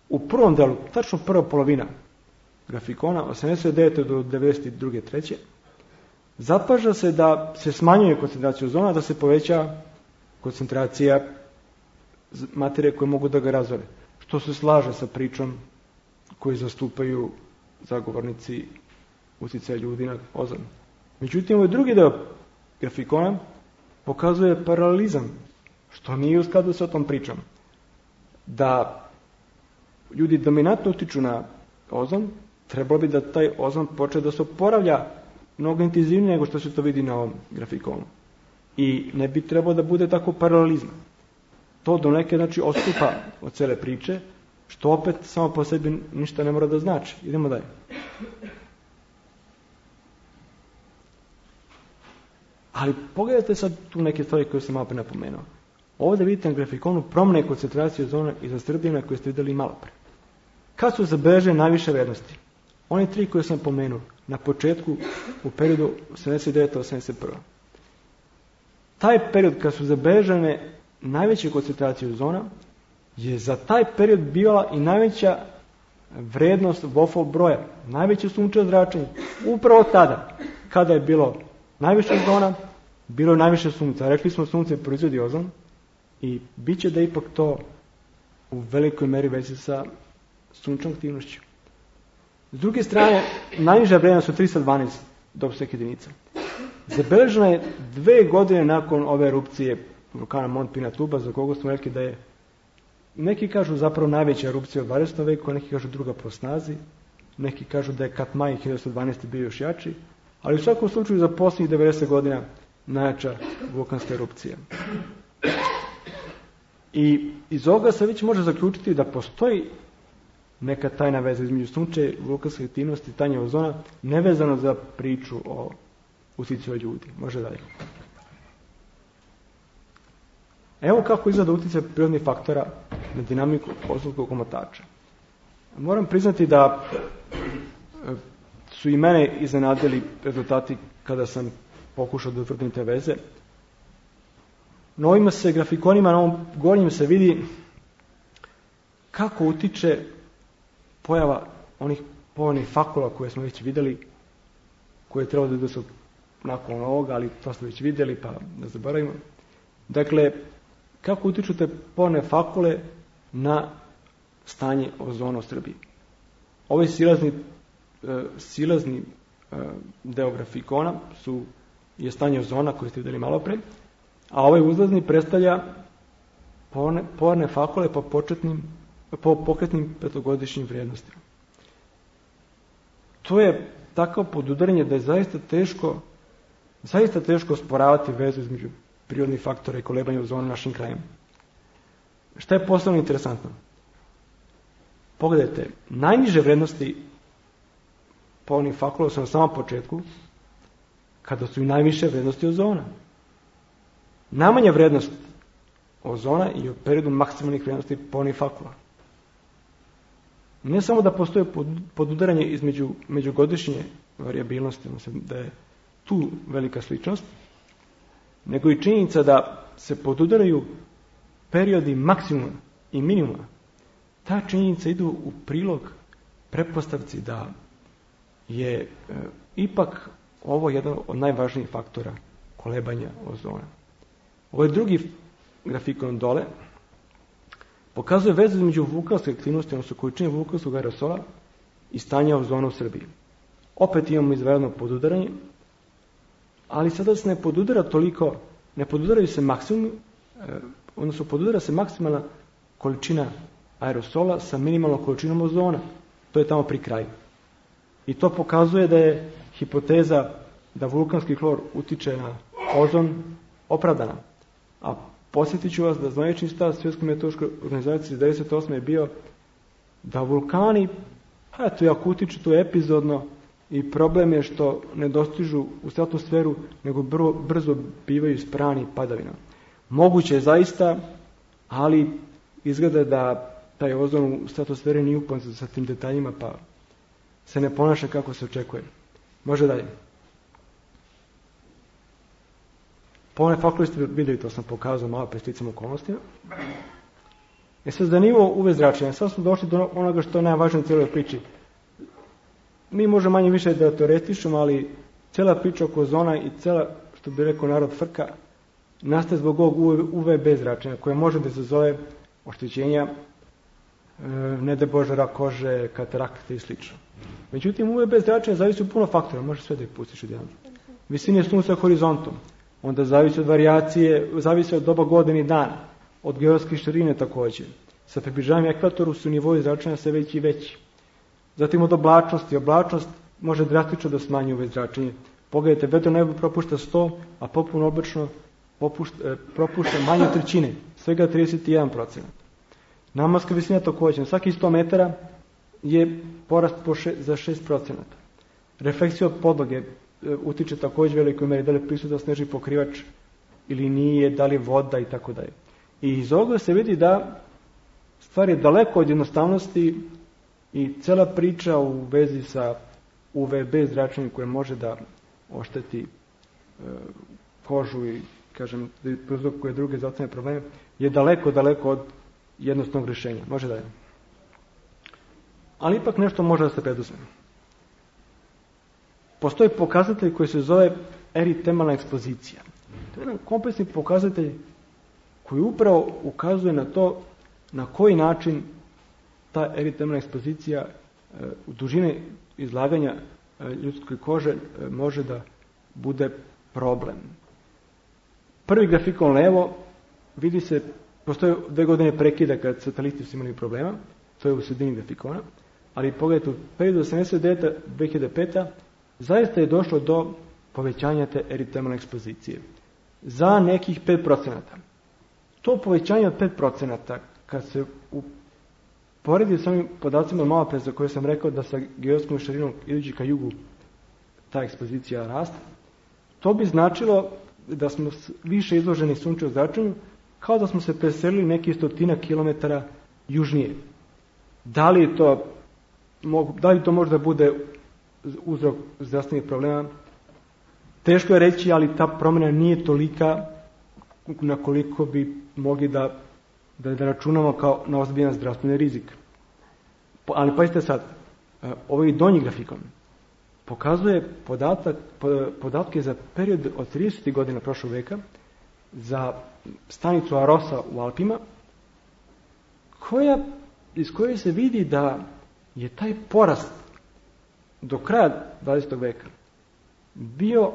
u prvom delu, tačno prva polovina grafikona, osamdeset devete. do devedeset druge. treće. Zapaža se da se smanjuje koncentracija ozona, da se poveća koncentracija materije koje mogu da ga razore. Što se slaže sa pričom koju zastupaju zagovornici utjecaja ljudi na ozon. Međutim, ovaj drugi deo grafikona pokazuje paralelizam, što nije u skladu sa tom pričom. Da ljudi dominantno utiču na ozon, trebalo bi da taj ozon počne da se oporavlja mnogo intenzivnije nego što se to vidi na ovom grafikonu. I ne bi trebalo da bude tako paralelizma. To do neke, znači, odstupa od cele priče, što opet samo po sebi ništa ne mora da znači. Idemo dalje. Ali pogledajte sad tu neke stvari koje sam malo pre napomenuo. Ovdje vidite na grafikonu promjene koncentracije ozona iza Srbije koje ste vidjeli malo pre. Kad su zabeležene najviše vrednosti? One tri koje sam pomenuo na početku u periodu osamdeset devete do osamdeset prve. Taj period kad su zabeležene najveće koncentracije ozona je za taj period bila i najveća vrednost Wolfov broja, najveće sunčevo zračenje. Upravo tada, kada je bilo najviše ozona, bilo je najviše sunca. Rekli smo sunce proizvodi ozon i bit će da ipak to u velikoj meri vezi sa sunčnom aktivnošću. S druge strane, najniža vrednost su trista dvanaest dopsovnih jedinica. Zabeležena je dve godine nakon ove erupcije vulkana Mont Pinatubo, za koga smo rekli da je, neki kažu zapravo najveća erupcija u dvadesetom veku, neki kažu druga po snazi, neki kažu da je Katmai hiljadu devetsto dvanaeste. bio još jači, ali u svakom slučaju za posljednjih devedeset godina najjača vulkanska erupcija. I iz ovoga se već može zaključiti da postoji neka tajna veza između sunčeve, vulkanske aktivnosti i stanja ozona, nevezano za priču o uticaju ljudi. Može dalje. Evo kako izgleda utjecaj prirodnih faktora na dinamiku ozonskog omotača. Moram priznati da su i mene iznenadili rezultati kada sam pokušao da utvrdim te veze. Na ovima se grafikonima, na ovom gornjem se vidi kako utiče pojava onih pojavnih fakula koje smo već vidjeli, koje je trebalo da su nakon ovoga, ali to smo već vidjeli, pa ne zaboravimo. Dakle, kako utiču te pojavne fakule na stanje ozona u Srbiji. Ovaj silazni, e, silazni e, deo grafikona su, je stanje ozona koje ste vidjeli malo pre, a ovaj uzlazni predstavlja pojavne fakule po, početnim, po pokretnim petogodišnjim vrijednostima. To je takav podudaranje da je zaista teško, zaista teško osporavati vezu između prirodnih faktora i kolebanja ozona u našim krajima. Šta je posebno interesantno? Pogledajte, najniže vrednosti pojavnih fakula su na samom početku, kada su i najviše vrednosti ozona. Najmanja vrednost ozona je u periodu maksimalnih vrednosti pojavnih fakula. Ne samo da postoje podudaranje između međugodišnje varijabilnosti, da je tu velika sličnost, nego i činjenica da se podudaraju periodi maksimuma i minimuma. Ta činjenica idu u prilog pretpostavci da je e, ipak ovo jedan od najvažnijih faktora kolebanja ozona. Ovaj drugi grafikon dole pokazuje vezu između vulkanske aktivnosti, odnosno količine vulkanskog aerosola i stanja ozona u Srbiji. Opet imamo izvanredno podudaranje, ali sada se ne podudara toliko, ne podudaraju se maksimum, odnosno podudara se maksimalna količina aerosola sa minimalnom količinom ozona. To je tamo pri kraju. I to pokazuje da je hipoteza da vulkanski hlor utiče na ozon opravdana. A posjetit ću vas da zvanični stav Svjetske meteorološke organizacije iz devedeset osme je bio da vulkani, eto, jako utiču to epizodno i problem je što ne dostižu u stratosferu, nego brzo, brzo bivaju sprani padavina. Moguće je zaista, ali izgleda da taj ozon u stratosferi nije upoznat sa tim detaljima, pa se ne ponaša kako se očekuje. Može dalje. Pojavne fakule ste vidjeli, to sam pokazao malo pre sticam okolnostima. E sad, za nivo U V zračenja, sad smo došli do onoga što je najvažnije u cijeloj priči. Mi možemo manje više da teoretišemo, ali cijela priča oko ozona i cijela, što bi rekao narod, frka, nastaje zbog ovog U V B zračenja, koje može da se zove oštećenja, e, ne da bože, rak kože, katarakte i sl. Međutim, U V B zračenja zavisi od puno faktora, može sve da ih pustiš od jedan. Visine sunca horizontom, onda zavisi od varijacije, zavisi od doba godine i dana, od geografske širine također. Sa približavanjem ekvatoru su nivoi zračenja sve veći i veći. Zatim od oblačnosti. Oblačnost može drastično da smanji U V zračenje. Pogledajte, vedro nebo propušta sto, a popuno oblačno popušta, propušta manje od trećine, svega trideset jedan procenat. Nadmorska visina također. Na svaki sto metara je porast po še, za šest procenata. Refleksija od podloge utiče također velikoj meri, da li je prisutan snežni pokrivač ili nije, da li je voda i tako dalje. I iz ovoga se vidi da stvar je daleko od jednostavnosti i cela priča u vezi sa U V B zračenjem koje može da ošteti e, kožu i, kažem, da prouzrokuje druge zdravstvene probleme, je daleko, daleko od jednostavnog rješenja. Može da je. Ali ipak nešto može da se preduzme. Postoji pokazatelj koji se zove eritemalna ekspozicija. To je jedan kompleksni pokazatelj koji upravo ukazuje na to na koji način ta eritemalna ekspozicija u dužine izlaganja ljudske kože može da bude problem. Prvi grafikon levo vidi se, postoje dve godine prekida kad sateliti su imali problema, to je u sredini grafikona, ali pogledajte, u periodu osamdeset devete do dve hiljade pete zaista je došlo do povećanja te eritemalne ekspozicije za nekih pet procenata. To povećanje od pet procenata, kad se uporedi s ovim podacima malo pre za koje sam rekao da sa geografskom širinom idući ka jugu ta ekspozicija raste, to bi značilo da smo više izloženi sunčevom zračenju, kao da smo se preselili neki stotina kilometara južnije. Da li to, da li to možda bude uzrok zdravstvenih problema? Teško je reći, ali ta promjena nije tolika na koliko bi mogli da, da, da računamo kao na ozbiljan zdravstveni rizik. Ali pazite sad, ovaj donji grafikon pokazuje podatak, podatke za period od tridesetih godina prošlog veka za stanicu Arosa u Alpima, koja, iz koje se vidi da je taj porast do kraja dvadesetog veka bio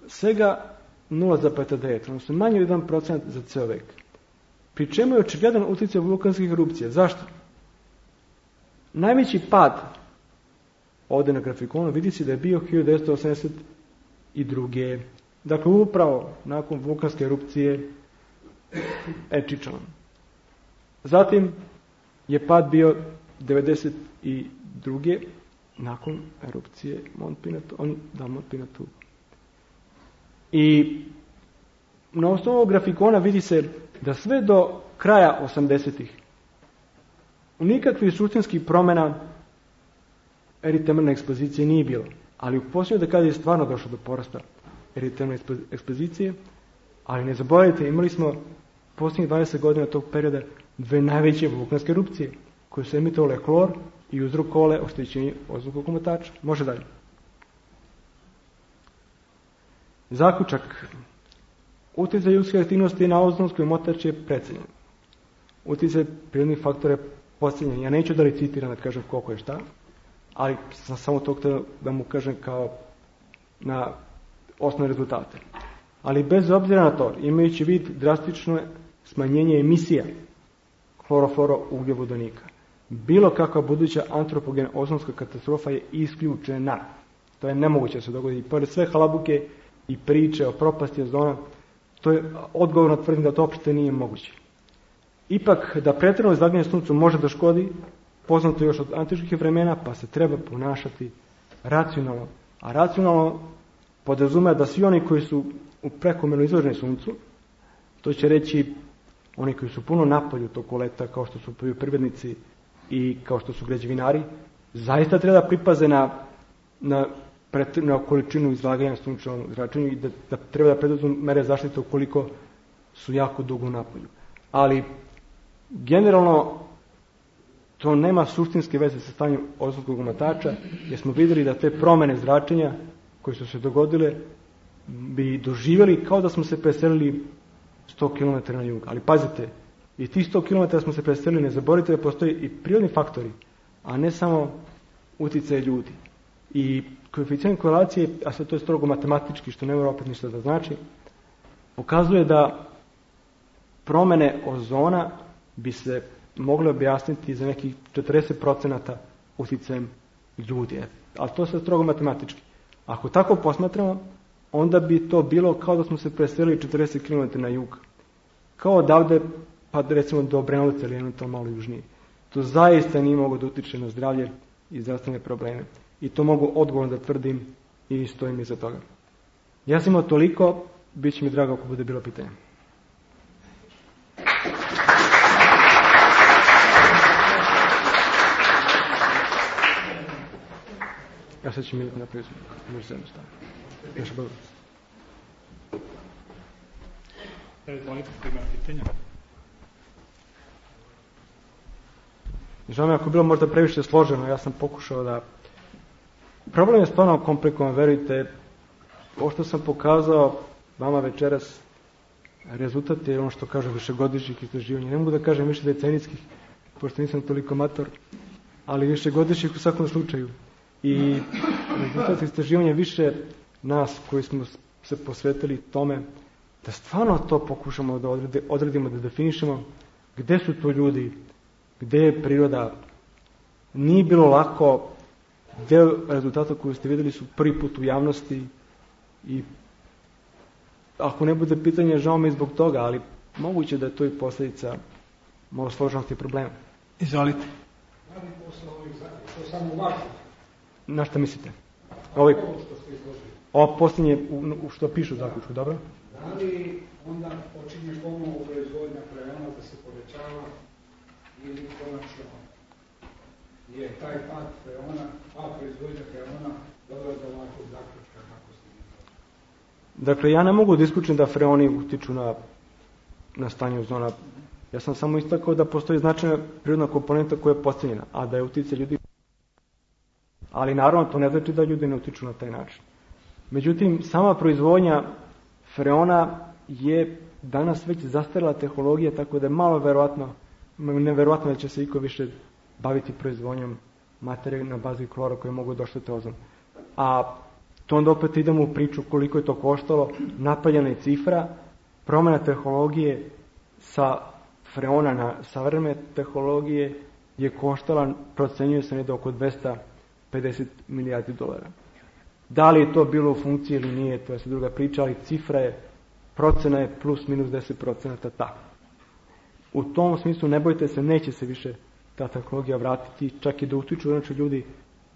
svega nula zarez devet, odnosno manje od jedan procenat za ceo vek. Pri čemu je očigledan utjecaj vulkanskih erupcija. Zašto? Najveći pad ovdje na grafikonu vidi se da je bio hiljadu devetsto osamdeset druge. Dakle, upravo nakon vulkanske erupcije Ečičan. Zatim je pad bio devedeset druge nakon erupcije Mont Pinatu, on da Mont Pinatu. I na osnovu ovog grafikona vidi se da sve do kraja osamdesetih nikakvih suštinskih promjena eritermalne ekspozicije nije bilo. Ali u posljednjoj dekadi je stvarno došlo do porasta eritermalne ekspozicije, ali ne zaboravite, imali smo posljednjih dvadeset godina tog perioda dve najveće vulkanske erupcije, koje su emitovale hlor i uzrokovale oštećenje ozonskog omotača. Može dalje. Zaključak. Utjecaj ljudske aktivnosti na ozonski omotač je precenjen. Utjecaj prirodnih faktora je podcenjen. Ja neću da recitiram da kažem koliko je šta, ali sam samo to htio da mu kažem kao na osnovne rezultate. Ali bez obzira na to, imajući vid drastično smanjenje emisija hlorofloro ugljovodonika, bilo kakva buduća antropogena ozonska katastrofa je isključena. To je nemoguće da se dogodi. I pored sve halabuke i priče o propasti ozona, to je odgovorno tvrdim da to uopšte nije moguće. Ipak, da pretjerano izlaganje suncu može da škodi, poznato još od antičkih vremena, pa se treba ponašati racionalno. A racionalno podrazumeva da svi oni koji su u prekomjerno izloženi suncu, to će reći oni koji su puno napolju toku leta, kao što su poljoprivrednici i kao što su građevinari, zaista treba da pripaze na, na, na količinu izlaganja sunčevom zračenju i da, da treba da preduzmu mere zaštite ukoliko su jako dugo napolju. Ali generalno to nema suštinske veze sa stanjem ozonskog omotača, jer smo vidjeli da te promjene zračenja koje su se dogodile bi doživjeli kao da smo se preselili sto kilometara na jug. Ali pazite, i tih sto kilometara smo se preselili, ne zaboravite da postoji i prirodni faktori, a ne samo utjecaj ljudi. I koeficijent korelacije, a sve to je strogo matematički, što ne mora opet ništa da znači, pokazuje da promjene ozona bi se mogle objasniti za nekih četrdeset procenata utjecajem ljudi. Ali to se strogo matematički. Ako tako posmatramo, onda bi to bilo kao da smo se preselili četrdeset kilometara na jug. Kao odavde, pa recimo do Obrenovca ili eventualno malo južnije. To zaista nije mogo da utiče na zdravlje i zdravstvene probleme. I to mogu odgovorno da tvrdim i stojim iza toga. Ja sam imao toliko, bit će mi drago ako bude bilo pitanje. Ja sad ću mi napraviti možda se jednostavno. Još bolje. Izvolite, ko ima pitanja? Žao mi ako je bilo možda previše složeno, ja sam pokušao da... Problem je stvarno komplikovan, verujte. Ovo što sam pokazao vama večeras, rezultat je ono što kažu višegodišnjih istraživanja. Ne mogu da kažem više decenijskih, pošto nisam toliko mator, ali višegodišnjih u svakom slučaju. I rezultat istraživanja više nas koji smo se posvetili tome da stvarno to pokušamo da odredimo, da definišemo gde su to ljudi, gde je priroda. Nije bilo lako, deo rezultata koje ste vidjeli su prvi put u javnosti i ako ne bude pitanje, žao mi zbog toga, ali moguće da je to i posljedica malo složenosti problema. Izvolite. Da li posle ovih zakona, to samo važno? Na šta mislite? Ovo, ovo posljednje u što pišu u zaključku, dobro? Da li onda počinje ponovo proizvodnja freona da se povećava ili konačno je taj pad freona, a proizvodnja freona dovela do ovakvog zaključka kako ste mi to? Dakle, ja ne mogu da isključim da freoni utiču na na stanje ozona. Ja sam samo istakao da postoji značajna prirodna komponenta koja je podcijenjena, a da je utjecaj ljudi. Ali naravno to ne znači da ljudi ne utiču na taj način. Međutim, sama proizvodnja freona je danas već zastarjela tehnologija, tako da je malo verovatno, neverovatno da će se iko više baviti proizvodnjom materije na bazi klora koje mogu da oštete ozon. A to onda opet idemo u priču koliko je to koštalo, napaljena je cifra, promjena tehnologije sa freona na savremene tehnologije je koštala, procenjuje se negdje oko dvesta pedeset milijardi dolara. Da li je to bilo u funkciji ili nije, to je se druga priča, ali cifra je, procena je plus minus deset procenata tako. U tom smislu ne bojte se, neće se više ta tehnologija vratiti, čak i da utiču, znači ljudi,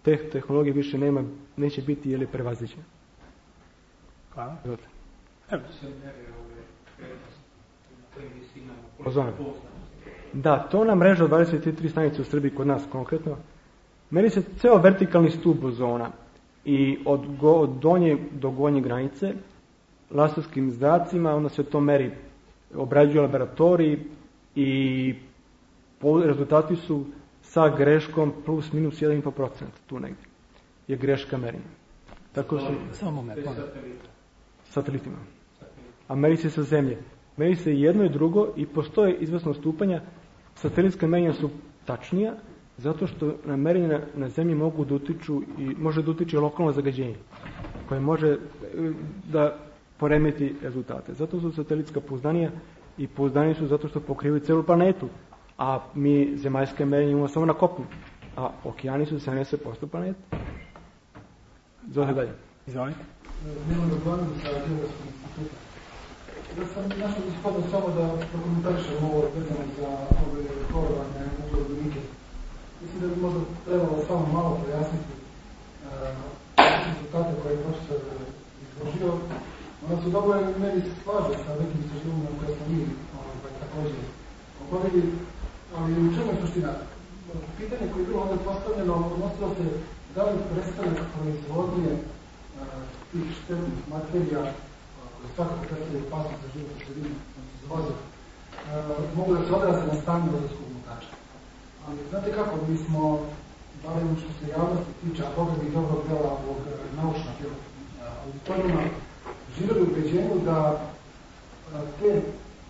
te tehnologije više nema, neće biti ili prevaziđene. Hvala. Evo. Ozona. Da, to na mreža od dvadeset tri stanice u Srbiji kod nas konkretno. Meri se ceo vertikalni stup ozona i od, go, od donje do gornje granice laserskim zracima, onda se to meri, obrađuju laboratoriji i rezultati su sa greškom plus minus jedan i po procent, tu negdje je greška merenja. Tako su samo me, satelitima. A meri se sa zemlje. Meri se jedno i drugo i postoje izvesno stupanja. Satelitska merenja su tačnija zato što na merenje na, na zemlji mogu da utiču i može da utiče lokalno zagađenje koje može da poremeti rezultate. Zato su satelitska pouzdanija i pouzdaniji su zato što pokrivaju celu planetu. A mi zemaljske merenje imamo samo na kopnu. A okeani su sedamdeset posto planete. Zove dalje. Izvolite. Nemam dogledam sa Geografskog instituta. Da sam našao gospodinu samo da prokomentarišem ovo vezano za ove horovane uglednike. Mislim da bi možda trebalo samo malo pojasniti uh, rezultate koje je profesor izložio. Ona se dobro meni slaže sa nekim istraživanjima koje smo mi ovaj, također obavili, ali u čemu je suština? Pitanje koje je bilo ovdje postavljeno odnosilo se da li prestanak proizvodnje uh, tih štetnih materija koje svakako predstavljaju opasnost za životnu sredinu, za vazduh, mogu da se odraze na stanje ozonskog omotača. Ali znate kako, mi smo, barem što se javnosti tiče, a Boga bi dobrog dela ovog naučnog auditorijuma, živjeli u ubeđenju da te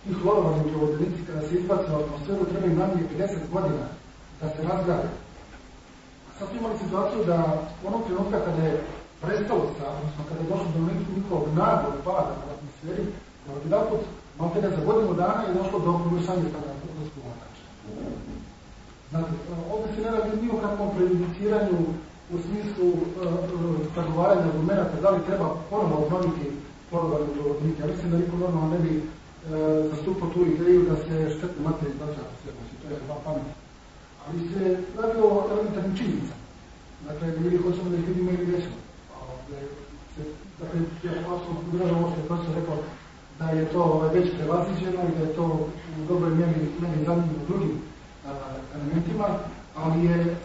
ti hlorovani ugljenici kada se izbace u atmosferu trebaju najmanje pedeset godina da se razgrade. Sad smo imali situaciju da onog trenutka kada je prestalo sa, odnosno kada je došlo do njihovog naglog pada u atmosferi, da od jedan put, malo kada za godinu dana je došlo do poboljšanja tada ozonskog omotača. Znate, ovdje se ne radi ni o kakvom prejudiciranju u smislu zagovaranja uh, argumenta da li treba ponovo obnoviti hlorovane ugljenice. Ja mislim da niko normalno ne bi uh, zastupao tu ideju da se štetne materije izbace u atmosferu, to je dva pamet. Ali se radi o elementarnim činjenicama. Dakle, ili hoćemo da ih vidimo ili nećemo. Dakle, ja apsolutno podržavam ovo što je profesor rekao da je to već prevaziđeno i da je to u dobroj mjeri meni zanimljivo drugim a, elementima, ali je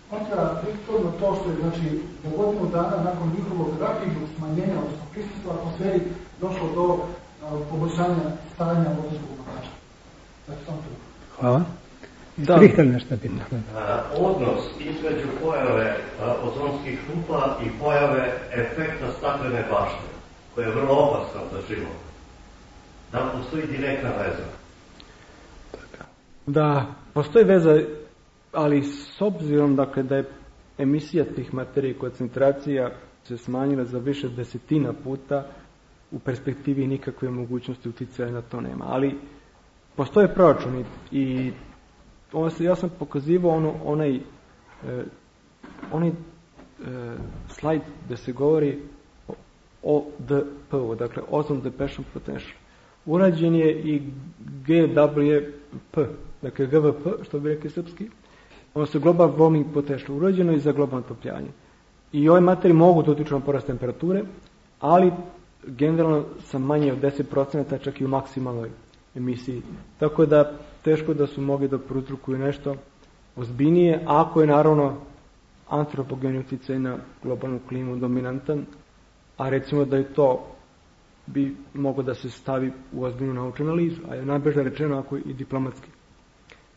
kontradiktorno to što je, znači, za godinu dana nakon njihovog rapidnog smanjenja, odnosno prisustva atmosferi, došlo do a, poboljšanja stanja ozonskog omotača. Znači, samo to. Hvala. Da. Nešto Odnos između pojave ozonskih rupa i pojave efekta staklene bašte, koja je vrlo opasna za život. Da li postoji direktna veza? Da, postoji veza, ali s obzirom dakle, da je emisija tih materija i koncentracija se smanjila za više desetina puta, u perspektivi nikakve mogućnosti uticaja na to nema. Ali postoje proračuni i ono se, ja sam pokazivao ono, onaj, eh, onaj eh, slajd gdje se govori o D P, dakle Ozone Depletion Potential. Urađen je i G W P, dakle G V P, što bi rekli srpski, ono se Global Warming Potential, urađeno i za globalno otopljanje. I ove materije mogu da utiču na porast temperature, ali generalno sa manje od deset procenata čak i u maksimalnoj emisiji. Tako da teško da su mogli da prouzrokuju nešto ozbiljnije, ako je naravno antropogeni uticaj na globalnu klimu dominantan, a recimo da je to bi moglo da se stavi u ozbiljnu naučnu analizu, a je najbrže rečeno ako i diplomatski.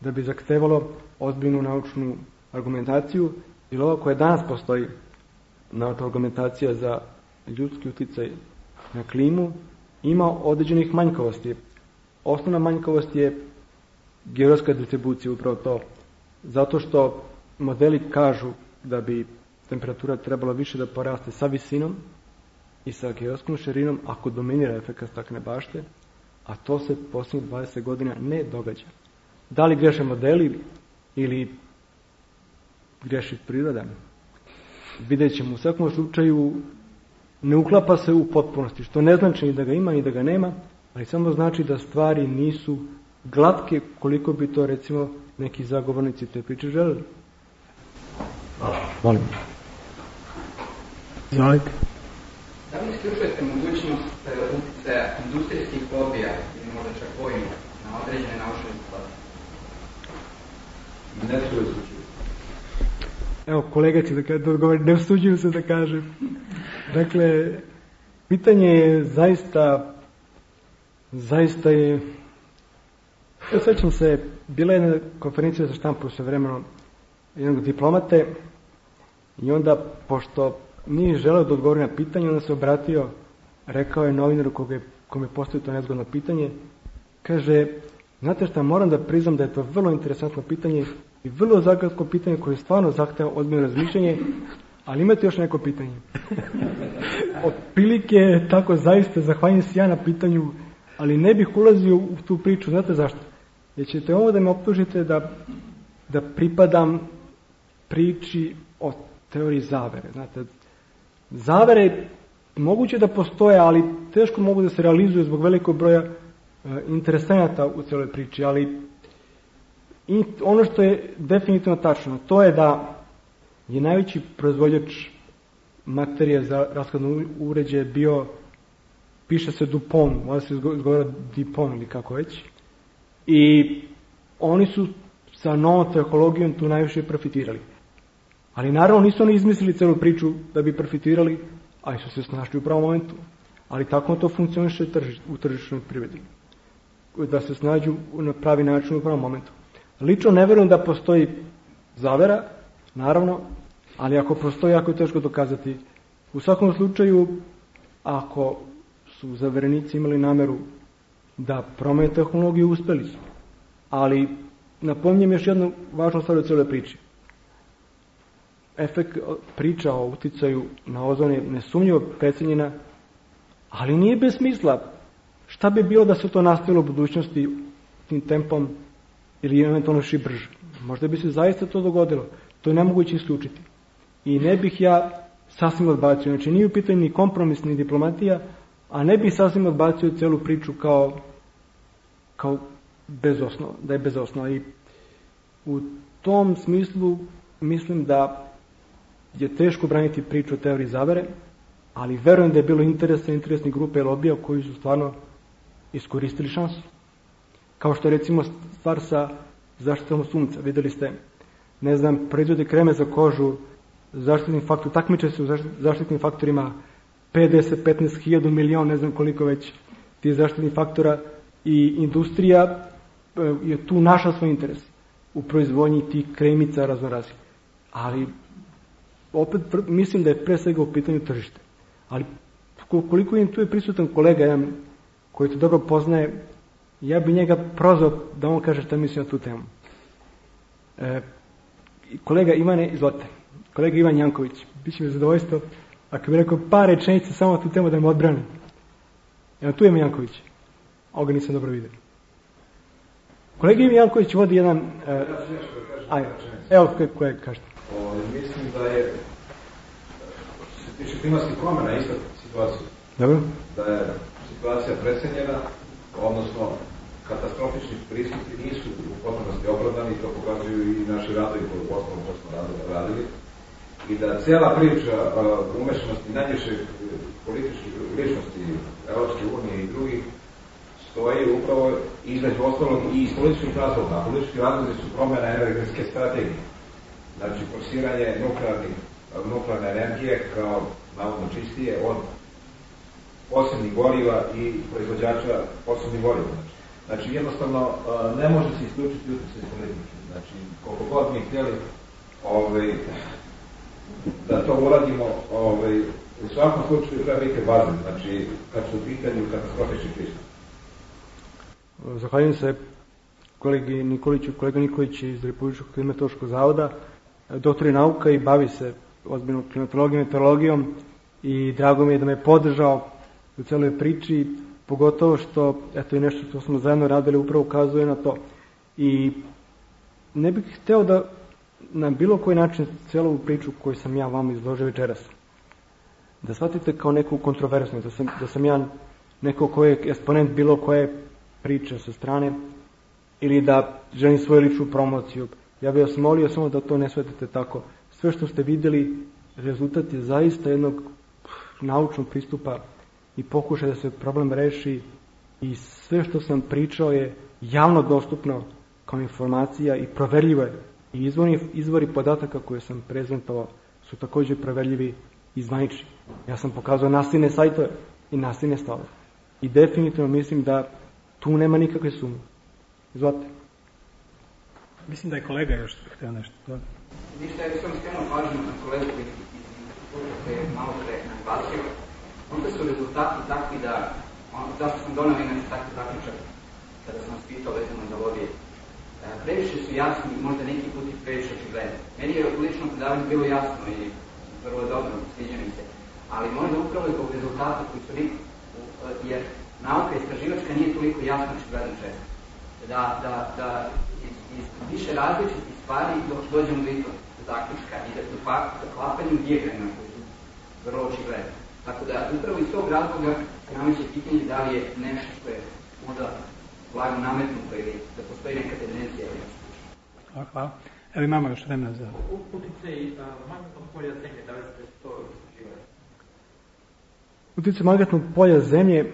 Da bi zahtevalo ozbiljnu naučnu argumentaciju, jer ovo koje danas postoji naučna argumentacija za ljudski uticaj na klimu, ima određenih manjkavosti. Osnovna manjkavost je geografska distribucija, upravo to. Zato što modeli kažu da bi temperatura trebala više da poraste sa visinom i sa geografskom širinom ako dominira efekat staklene bašte, a to se posljednjih dvadeset godina ne događa. Da li greše modeli ili greši priroda? Vidjet ćemo. U svakom slučaju ne uklapa se u potpunosti, što ne znači ni da ga ima ni da ga nema, ali samo znači da stvari nisu glatke koliko bi to recimo neki zagovornici te priče želeli. Molim. Izvolite. Da li isključujete mogućnost uticaja industrijskih lobija ili možda čak vojnih na određene naučne rezultate? Ne su isključuju. Evo, kolega će da, da odgovori, ne usuđuju se da kažem. Dakle, pitanje je zaista, zaista je, ja sećam se, bila je jedna konferencija za štampu sve vremeno jednog diplomate i onda, pošto nije želeo da odgovori na pitanje, onda se obratio, rekao je novinaru koga kome je postavio to nezgodno pitanje, kaže, znate šta, moram da priznam da je to vrlo interesantno pitanje i vrlo zagadko pitanje koje stvarno zahteva ozbiljno razmišljanje, ali imate još neko pitanje. Otprilike tako zaista, zahvaljujem se ja na pitanju, ali ne bih ulazio u tu priču, znate zašto? Jer ćete ovo da me optužite da, da pripadam priči o teoriji zavere. Znate, zavere moguće da postoje, ali teško mogu da se realizuju zbog velikog broja e, interesenata u celoj priči, ali i ono što je definitivno tačno, to je da je najveći proizvođač materije za rashladne uređaje bio, piše se Dupont, možda se izgovara Dupont ili kako već, i oni su sa novom tehnologijom tu najviše profitirali. Ali naravno nisu oni izmislili celu priču da bi profitirali, ali su se snašli u pravom momentu. Ali tako to funkcioniše u tržišnoj privredi. Da se snađu na pravi način u pravom momentu. Lično ne verujem da postoji zavera, naravno, ali ako postoji, jako je teško dokazati. U svakom slučaju, ako su zaverenici imali nameru da promene tehnologiju, uspeli su. Ali napominjem još jednu važnu stvar u cijeloj priči. Efekt priča o uticaju na ozon je nesumnjivo precenjena, ali nije bez smisla. Šta bi bilo da se to nastavilo u budućnosti tim tempom ili eventualno još i brže? Možda bi se zaista to dogodilo. To je nemoguće isključiti. I ne bih ja sasvim odbacio. Znači nije u pitanju ni kompromis, ni diplomatija, a ne bih sasvim odbacio celu priču kao, kao bez osnova, da je bez osnova. I u tom smislu mislim da je teško braniti priču o teoriji zavere, ali verujem da je bilo interesa interesnih grupe i lobija koji su stvarno iskoristili šansu. Kao što je recimo stvar sa zaštitom sunca. Videli ste, ne znam, proizvode kreme za kožu, zaštitni faktor, takmiče se u zaštitnim faktorima pedeset, petnaest hiljada, milion, ne znam koliko već tih zaštitnih faktora, i industrija je tu našla svoj interes u proizvodnji tih kremica raznoraznih. Ali opet mislim da je pre svega u pitanju tržište. Ali koliko im tu je prisutan kolega jedan koji to dobro poznaje, ja bi njega prozvao da on kaže šta misli na tu temu. E, kolega Ivane, izvolite. Kolega Ivan Janković, bit će mi zadovoljstvo ako bi rekao par rečenica samo na tu temu da me odbrani. Evo, tu je mi Janković. Ovoga nisam dobro vidio. Kolega Ivan Janković vodi jedan... E, aj, evo, koje kažete. O, mislim da je, što se tiče klimatskih promjena, ista situacija. Dobro. Da je situacija precenjena, odnosno katastrofični pristupi nisu u potpunosti opravdani, to pokazuju i naši radovi koji u osnovu to smo radili. I da cijela priča uh, umešanosti najviše političkih ličnosti Evropske unije i drugih stoji upravo između ostalog i iz političkih razloga. A politički razlozi su promjena energetske strategije. Znači, forsiranje nuklearne energije kao navodno čistije od posebnih goriva i proizvođača posebnih goriva. Znači, jednostavno, ne može se isključiti utjecaj politike. Znači, koliko god mi htjeli ovaj, da to uradimo, ovaj, u svakom slučaju treba biti bazen, znači, kad su u pitanju katastrofični pristup. Zahvaljujem se kolegi Nikoliću, kolega Nikolić iz Republičkog klimatološkog zavoda, doktor je nauka i bavi se ozbiljno klimatologijom i meteorologijom i drago mi je da me je podržao u celoj priči, pogotovo što, eto i nešto što smo zajedno radili upravo ukazuje na to. I ne bih hteo da na bilo koji način celu priču koju sam ja vam izložio večeras, da shvatite kao neku kontroverznu, da sam, da sam ja neko koji je eksponent bilo koje priče sa strane ili da želim svoju ličnu promociju. Ja bih vas molio samo da to ne shvatite tako. Sve što ste vidjeli, rezultat je zaista jednog naučnog pristupa i pokušaj da se problem reši i sve što sam pričao je javno dostupno kao informacija i proverljivo je. I izvori, izvori podataka koje sam prezentovao su također proverljivi i zvanični. Ja sam pokazao nasilne sajtove i nasilne stavove. I definitivno mislim da tu nema nikakve sumnje. Izvolite. Mislim da je kolega još htio nešto. Da. Ništa, ja sam skrenuo pažnju na kolegu koji je malo pre naglasio. Onda su rezultati takvi da, on, zašto sam donao inače takvi zaključak kada sam vas pitao vezano za lobije. Previše su jasni, možda neki put i previše očigledni. Meni je u ličnom predavanju bilo jasno i vrlo dobro, sviđa mi se. Ali možda upravo zbog rezultata koji su nikli, jer nauka istraživačka nije toliko jasno očigledno često. Da, da, da iz, iz više različitih stvari dođemo do istog zaključka i da do klapanju dijagrama koji su vrlo očigledni. Tako da upravo iz tog razloga nameće pitanje da li je nešto što je možda blago nametnuto ili da postoji neka tendencija ili nešto. Hvala, hvala. Evo imamo još vremena za... Utjecaj magnetnog polja zemlje, da li ste to istraživali? Utjecaj magnetnog polja zemlje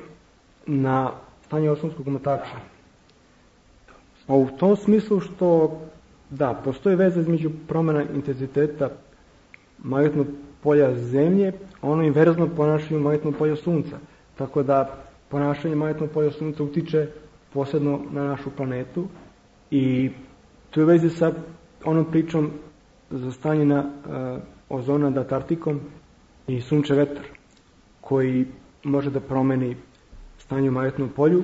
na stanje ozonskog omotača. A u tom smislu što, da, postoji veza između promjena intenziteta magnetnog polja zemlje, ono inverzno ponašanje magnetnog polja sunca. Tako da ponašanje magnetnog polja sunca utiče posebno na našu planetu i tu je vezi sa onom pričom za stanje na uh, ozona nad Antarktikom i sunčev vetar koji može da promeni stanje u magnetnom polju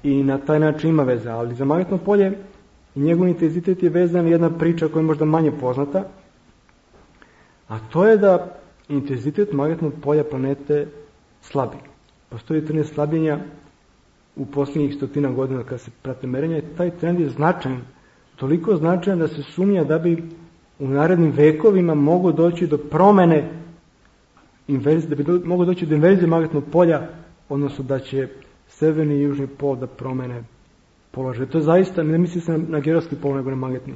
i na taj način ima veze, ali za magnetno polje i njegov intenzitet je vezan jedna priča koja je možda manje poznata, a to je da intenzitet magnetnog polja planete slabi. Postoji trend slabljenja u posljednjih stotina godina kada se prate merenja i taj trend je značajan, toliko značajan da se sumnja da bi u narednim vekovima moglo doći do promene inverzije, da bi do, moglo doći do inverzije magnetnog polja, odnosno da će severni i južni pol da promene položaj. To je zaista, ne misli se na, na geografski pol, nego na magnetni.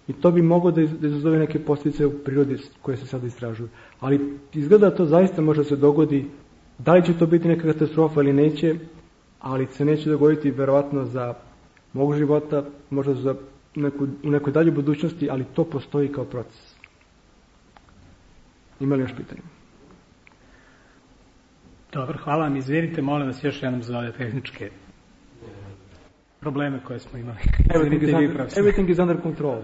I to bi moglo da, iz, da izazove neke posljedice u prirodi koje se sada istražuju. Ali izgleda da to zaista može da se dogodi. Da li će to biti neka katastrofa ili neće, ali se neće dogoditi verovatno za mog života, možda za neku, u nekoj dalje budućnosti, ali to postoji kao proces. Ima li još pitanje? Dobro, hvala vam. Izvinite, molim vas još jednom za ove tehničke probleme koje smo imali. Everything is under, everything is under control.